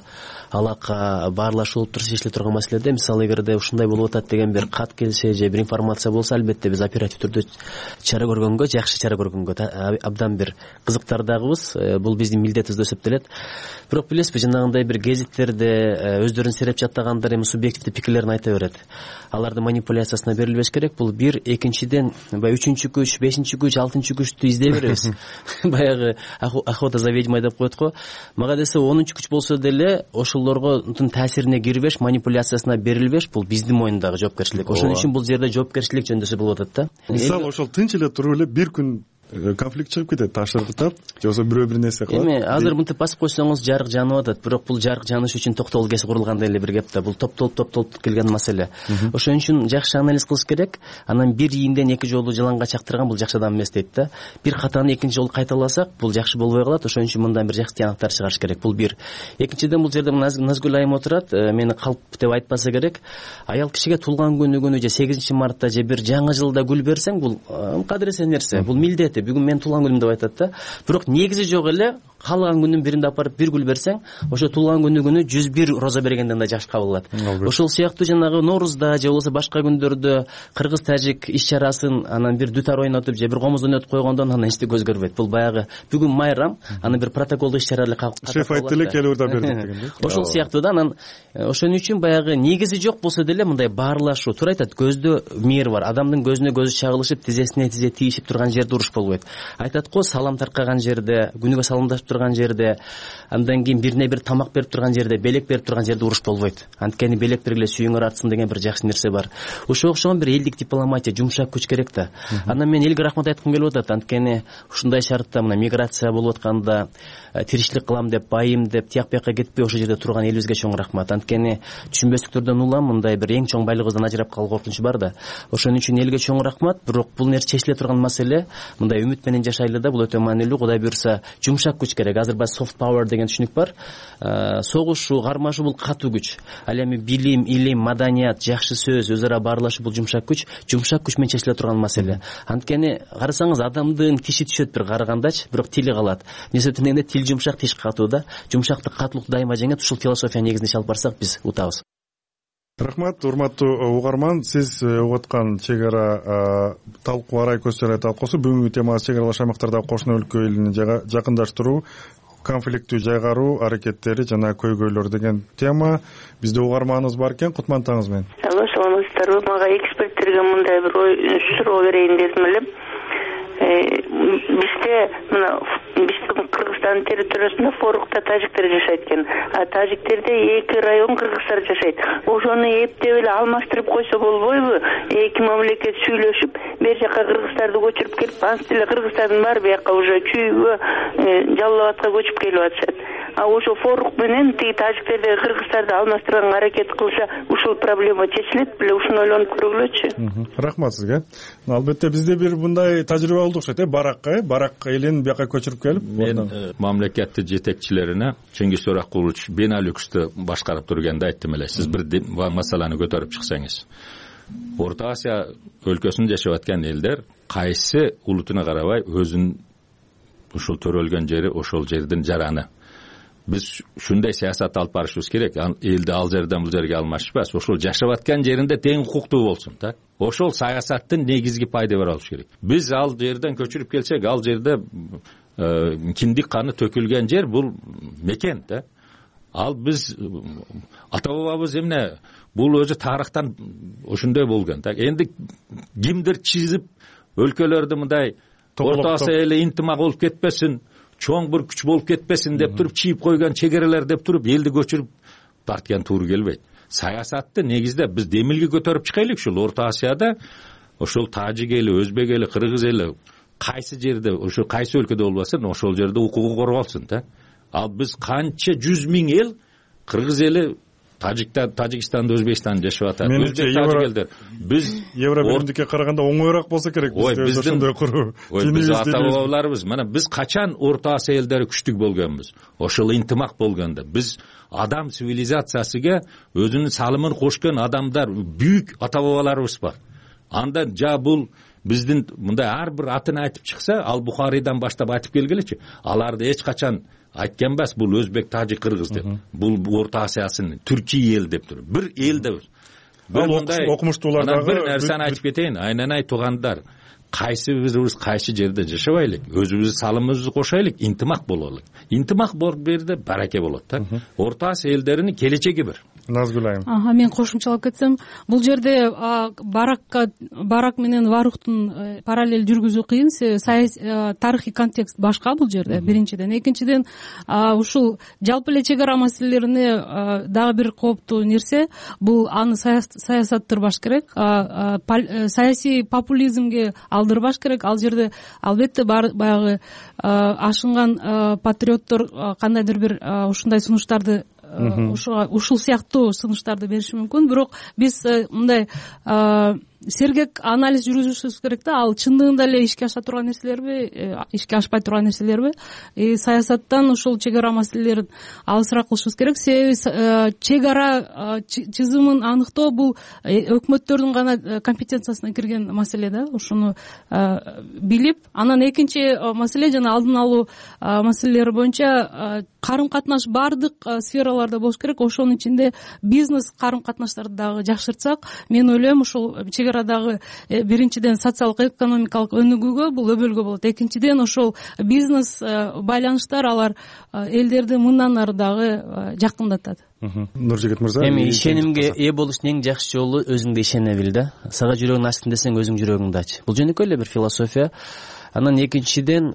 алака, баарлашуу болуп туруп чечиле турган маселеде, мисалы эгерде ушундай болуп атат деген бир кат келсе же бир информация болсо, албетте биз оператив түрдө чара көргөнгө, жакшы чара көргөнгө абдан бир кызыктардагыбыз. Бул биздин милдетибиз деп эсептелет. Бирок билесизби, жанагындай бир гезиттерде өздөрүн сереп жаттагандар эми субъективдүү пикирлерин айта берет. Алардын манипуляциясына берилбеш керек. Бул бир, экинчиден баягы үчүнчү күч, бешинчи күч, алтынчы күчтү издей беребиз. Баягы охота за ведьмой деп коет го. Мага десе 10-чу күч болсо деле ошолорго таасирине кирбеш, манипуляциясына берилбеш, бул биздин мойнундагы жоопкерчилик. Ошон үчүн бул жерде жоопкерчилик жөндөсү болуп атат да. Мисалы ошол тынч эле туруп эле бир күн конфликт чыгып кетет, ташыртып, же болбосо бирөө бир нерсе кылат. Эми азыр мынтип басып койсоңуз жарык жанып атат, бирок бул жарык жаныш үчүн токтогул кеси курулгандай эле бир кеп да. Бул топтолуп келген маселе. Ошон үчүн жакшы анализ кылыш керек. Анан бир ийинден эки жолу жыланга чактырган бул жакшы адам эмес дейт да. Бир катаны экинчи жолу кайталасак, бул жакшы болбой калат. Ошон үчүн мындан бир жакшы тыянактар чыгарыш керек. Бул бир. Экинчиден бул жерде Назгүл айым отурат, мени калп деп айтпаса керек. Аял кишиге туулган күнү же 8-мартта же бир жаңы жылда гүл берсең, бул кадыресе нерсе. Бул милдети. Бүгүн мен туулган күнүм деп айтат да. Бирок негизи жок эле. Калган күнүн биринде апарып бир гүл берсең, ошо туулган күнү 101 роза бергенден да жакшы кабыл алат. Ошол сыяктуу жанагы Ноорузда же болбосо башка күндөрдө кыргыз-тажик иш-чарасын анан бир дутар ойнотуп же бир комуз ойнотуп койгондон анан эчтеке өзгөрбөйт. Бул баягы бүгүн майрам, анан бир протоколдук иш-чара эле шеф айтты эле келип да бердик деген. Ошол сыяктуу да. Анан ошон үчүн баягы негизи жок болсо деле мындай баарлашуу, туура айтат, көздө мээр бар. Адамдын көзүнө көзү чагылышып, тизесине тизе тийишип турган жерде уруш болбойт. Айтат го, салам таркаган жерде, күнүгө саламдашып турган жерде, андан кийин бирине бир тамак берип турган жерде, белек берип турган жерде уруш болбойт. Анткени белек бергиле сүйүңөр артсын деген бир жакшы нерсе бар. Ошого окшогон бир элдик дипломатия, жумшак күч керек да. Анан мен элге рахмат айткым келип атат. Анткени ушундай шартта мына миграция болуп атканда тиричилик кылам деп, байым деп, тияк бияка кетпей ошол жерде турган элибизге чоң рахмат. Анткени түшүнбөстүктөрдөн улам мындай бир эң чоң байлыгыбыздан ажырап калуу коркунучу бар да. Ошон үчүн элге чоң рахмат. Бирок бул нерсе чечиле турган маселе. Мындай үмүт менен жашайлы да, бул өтө маанилүү. Кудай буюрса, жумшак күч керек. Азыр soft power деген түшүнүк бар. Согушу, кармашуу бул катуу күч. Ал эми билим, илим, маданият, жакшы сөз, өз ара баарлашуу бул жумшак күч. Жумшак күч менен чечиле турган маселе. Анткени карасаңыз адамдын тиши түшөт бир карагандачы, бирок тили калат. Эмне дегенде тил жумшак, тиш катуу да. Жумшактык катуулук дайыма жеңет. Ушул философия негизинде иш алып барсак биз утабыз. Рахмат, урматтуу угарман. Сиз угуп аткан чек ара талкуу, арай көз чарай талкуусу бүгүнкү темасы чек аралаш аймактардагы кошуна өлкө элин жакындаштыруу, конфликттүү жайгаруу аракеттери жана көйгөйлөр деген тема. Бизде угарманыбыз бар экен. Кутман таңыңыз менен. жатасыңарбы? Мага эксперттерге мындай бир суроо берейин дедим эле. Бизде мына биздин Кыргызстан территориясында Форукта тажиктер жашайт экен. Тажиктерде 2 район кыргыздар жашайт. Ошону эптеп эле алмаштырып койсо болбойбу? 2 мамлекет сүйлөшүп, бер жака кыргыздарды көчүрүп келип, ансы деле кыргыздардын баары бияка уже Чүйгө, Жалал Абадка көчүп келип атышат. Ошо Форук менен тиги тажиктердеги кыргыздарды алмаштырганга аракет кылса, ушул проблема чечилет беле? Ушуну ойлонуп көргүлөчү. Рахмат сизге. Албетте бизде бир мындай тажрыйба болду окшойт, барак элин бияка көчүрүп келип. Мен мамлекеттик жетекчилерине Чеңгиз Төрөкулович Беналюксты башкарып турганда айттым эле, сиз бир маселени көтөрүп чыксаңыз. Орто Азия өлкөсүндө жашап аткан элдер кайсы улутуна карабай өзүнүн ушул төрөлгөн жери, ошол жердин жараны. Биз ушундай саясат алып барышыбыз керек. Элди ал жерден бул жерге алмашпас, ошол жашап аткан жеринде тең укуктуу болсун да. Ошол саясаттын негизги пайда бере алыш керек. Биз ал жерден көчүрүп келсек, ал жерде киндик каны төкүлгөн жер, бул мекен да. Ал биз ата бабабыз эмне, бул өзү тарыхтан ошондой болгон да. Энди кимдир чизип өлкөлөрдү мындай Орто Азия эле интимак болуп кетпесин, чоң бир күч болуп кетпесин деп туруп, чийип койгон чегерелер деп туруп, элди көчүрүп тарткан туура келбейт. Саясатты негизде биз демилге көтөрүп чыгайлык. Ушул Орто Азияда ошол тажик эли, өзбек эли, кыргыз эли кайсы жерде, ошо кайсы өлкөдө болбосун, ошол жерде укугу корголсун да. Ал биз канча 100 миң эл, кыргыз эли, Тажикстанда, Өзбекстанда жашап атат. Өзбек тажик элдер. Биз Евробиримдикке караганда оңоюраак болсо керек. Биз ошондой куруу. Биз ата-бабаларыбыз, мына биз качан Орто Азия элдери күчтүү болгонбуз? Ошол интимак болгондо. Биз адам цивилизациясыга өзүнүн салымын кошкон адамдар, büyük ата-бабаларыбыз бар. Анда бул биздин мындай ар бир атын айтып чыкса, ал Бухарийдан баштап айтып келгилечи. Аларды эч качан айткен эмес, бул өзбек, тажик, кыргыз деп. Бул Орто Азиясынын Түркия эл деп туруп. Бир эл деп. Окумуштуулардагы бир нерсени айтып кетейин, айнанай туугандар. Кайсы бирибиз кайсы жерде жашабайлык, өзүбүздүн салымыбызды кошайлык, интимак бололук. Интимак болуп берди, бараке болот да. Орто Азия элдеринин келечеги бир. Назгүл айым. Мен кошумчалап кетсем, бул жерде барак менен варуктун параллель жүргүзүү кыйын. Тарыхый контекст башка бул жерде, биринчиден. Экинчиден, ушул жалпы эле чек ара маселелерине дагы бир кооптуу нерсе, бул аны саясаттырбаш керек, саясий популизмге алдырбаш керек. Ал жерде албетте баягы ашынган патриоттор кандайдыр бир ушундай сунуштарды, ушул сыяктуу сунуштарды бериши мүмкүн. Бирок биз мындай сергек анализ жүргүзүшүбүз керек да. Ал чындыгында эле ишке аша турган нерселерби, ишке ашпай турган нерселерби? Саясаттан ушул чек ара маселелерин алысыраак кылышыбыз керек. Себеби чек ара чызымын аныктоо бул өкмөттөрдүн гана компетенциясына кирген маселе да. Ушуну билип, анан экинчи маселе жана алдын алуу маселелери боюнча карым катнаш баардык сфераларда болуш керек. Ошонун ичинде бизнес карым катнаштарды дагы жакшыртсак, мен ойлойм ушул чек арадагы биринчиден социалдык экономикалык өнүгүүгө бул өбөлгө болот. Экинчиден ошол бизнес байланыштар алар элдерди мындан ары дагы жакындатат. Нуржигит мырза, эми ишенимге ээ болуштун эң жакшы жолу өзүңдү ишене бил да. Сага жүрөгүң ачсын десең өзүң жүрөгүңдү ач. Бул жөнөкөй эле бир философия. Анан экинчиден,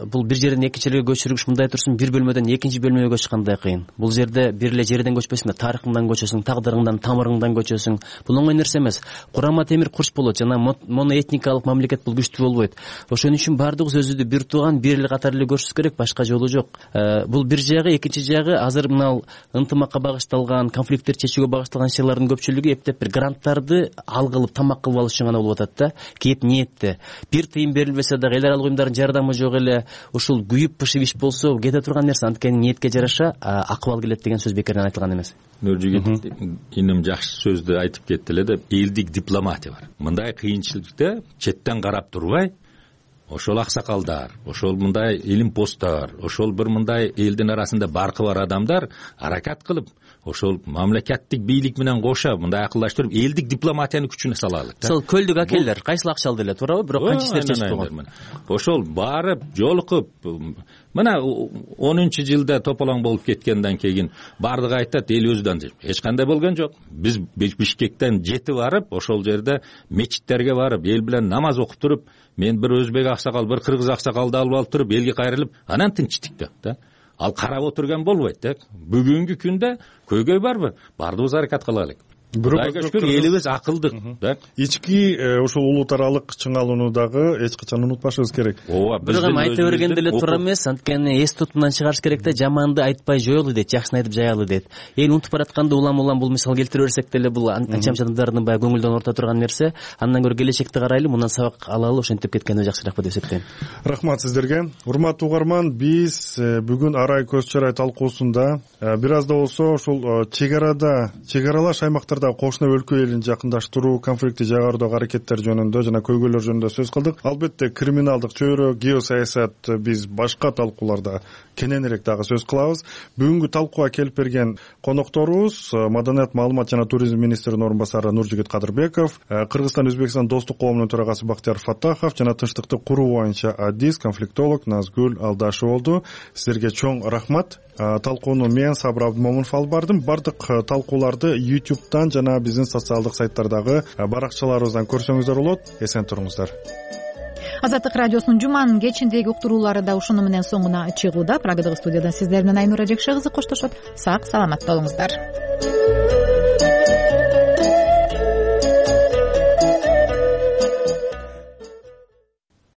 бул бир жерден экинчи жерге көчүрүш мындай турсун, бир бөлмөдөн экинчи бөлмөгө көчкандай кыйын. Бул жерде бир эле жерден көчпөсүң да, тарыхыңдан көчөсүң, тагдырыңдан, тамырыңдан көчөсүң. Бул оңой нерсе эмес. Курама темир курч болот жана моноэтникалык мамлекет бул күчтүү болбойт. Ошон үчүн баардыгыбыз өзүбүздү бир тууган, бир эле катары эле көрүшүбүз керек, башка жолу жок. Бул бир жагы, экинчи жагы азыр мына ынтымакка багышталган, конфликттерди чечүүгө багышталган ишчилардын көпчүлүгү эптеп бир гранттарды ал кылып, тамак кылып алыш үчүн гана болуп атат да. Кеп ниетте. Бир тыйын берилбесе дагы эл аралык уюмдардын жардамы жок эле, ушул күйүп пышып иш болсо кете турган нерсе. Анткени ниетке жараша акыбал келет деген сөз бекерден айтылган эмес. Нуржигит иним жакшы сөздү айтып кетти эле деп, элдик дипломатия бар. Мындай кыйынчылыкта четтен карап турбай, ошол аксакалдар, ошол мындай илим посттор, ошол бир мындай элдин арасында баркы бар адамдар аракат кылып, ошол мамлекеттик бийлик менен кошо мындай акылдаштырып элдик дипломатиянын күчүнө салалык да. мисалы көлдүк акелер кайсыл акча алды эле, туурабы? Бирок канча иштерчи чечип койгон. Ошол барып жолугуп мына 10-жылда тополоң болуп кеткенден кийин баардыгы айтат эл өзүдөн эч кандай болгон жок. Биз Бишкектен жетип барып ошол жерде мечиттерге барып эл менен намаз окуп туруп, мен бир өзбек аксакал, бир кыргыз аксакалды алып туруп элге кайрылып, анан тынчтык да. Ал карап отурган болбойт да. Бүгүнкү күндө көйгөй барбы? Баардыгыбыз аракет кылайлык. Кудайга шүкүр элибиз акылдык да. Ички ушул улут аралык чыңалууну дагы эч качан унутпашыбыз керек. Ооба, бирок эми айта бергенде эле туура эмес. Анткени эс тутумдан чыгарыш керек да, жаманды айтпай жоелу дейт, жакшыны айтып жаялы дейт. Эл унутуп баратканда улам бул мисал келтире берсек деле бул анча адамдардын баягы көңүлдөн орто турган нерсе. Андан көрө келечекти карайлы, мындан сабак алалы, ошентип кеткенде жакшыраак деп эсептейм. Рахмат сиздерге. Урматтуу угарман, биз бүгүн арай көз чарай талкуусунда бир аз да болсо ушул чегаралаш аймактарда кошуна өлкө элин жакындаштыруу, конфликтти жайгардагы аракеттер жөнүндө жана көйгөйлөр жөнүндө сөз кылдык. Албетте криминалдык чөйрө, геосаясат биз башка талкууларда кененирээк дагы сөз кылабыз. Бүгүнкү талкууга келип берген конокторубуз Маданият, маалымат жана туризм министринин орун басары Нуржигит Кадырбеков, Кыргызстан Өзбекстан достук коомунун төрагасы Бактияр Фаттахов жана тынчтыкты куруу боюнча адис, конфликтолог Назгүл Алдашева болду. Сиздерге чоң рахмат. Талкууну мен Сабыр Абдымомунов алып бардым. Бардык талкууларды YouTube'дан жана биздин социалдык сайттардагы баракчаларыбыздан көрсөңүздөр болот. Эсен туруңуздар. Азаттык радиосунун жуманын кечиндеги уктуруулары да ушуну менен соңуна чыгууда. Прагадагы студиядан сиздер менен Айнура Жекше кызы коштошот. Сак саламат болуңуздар.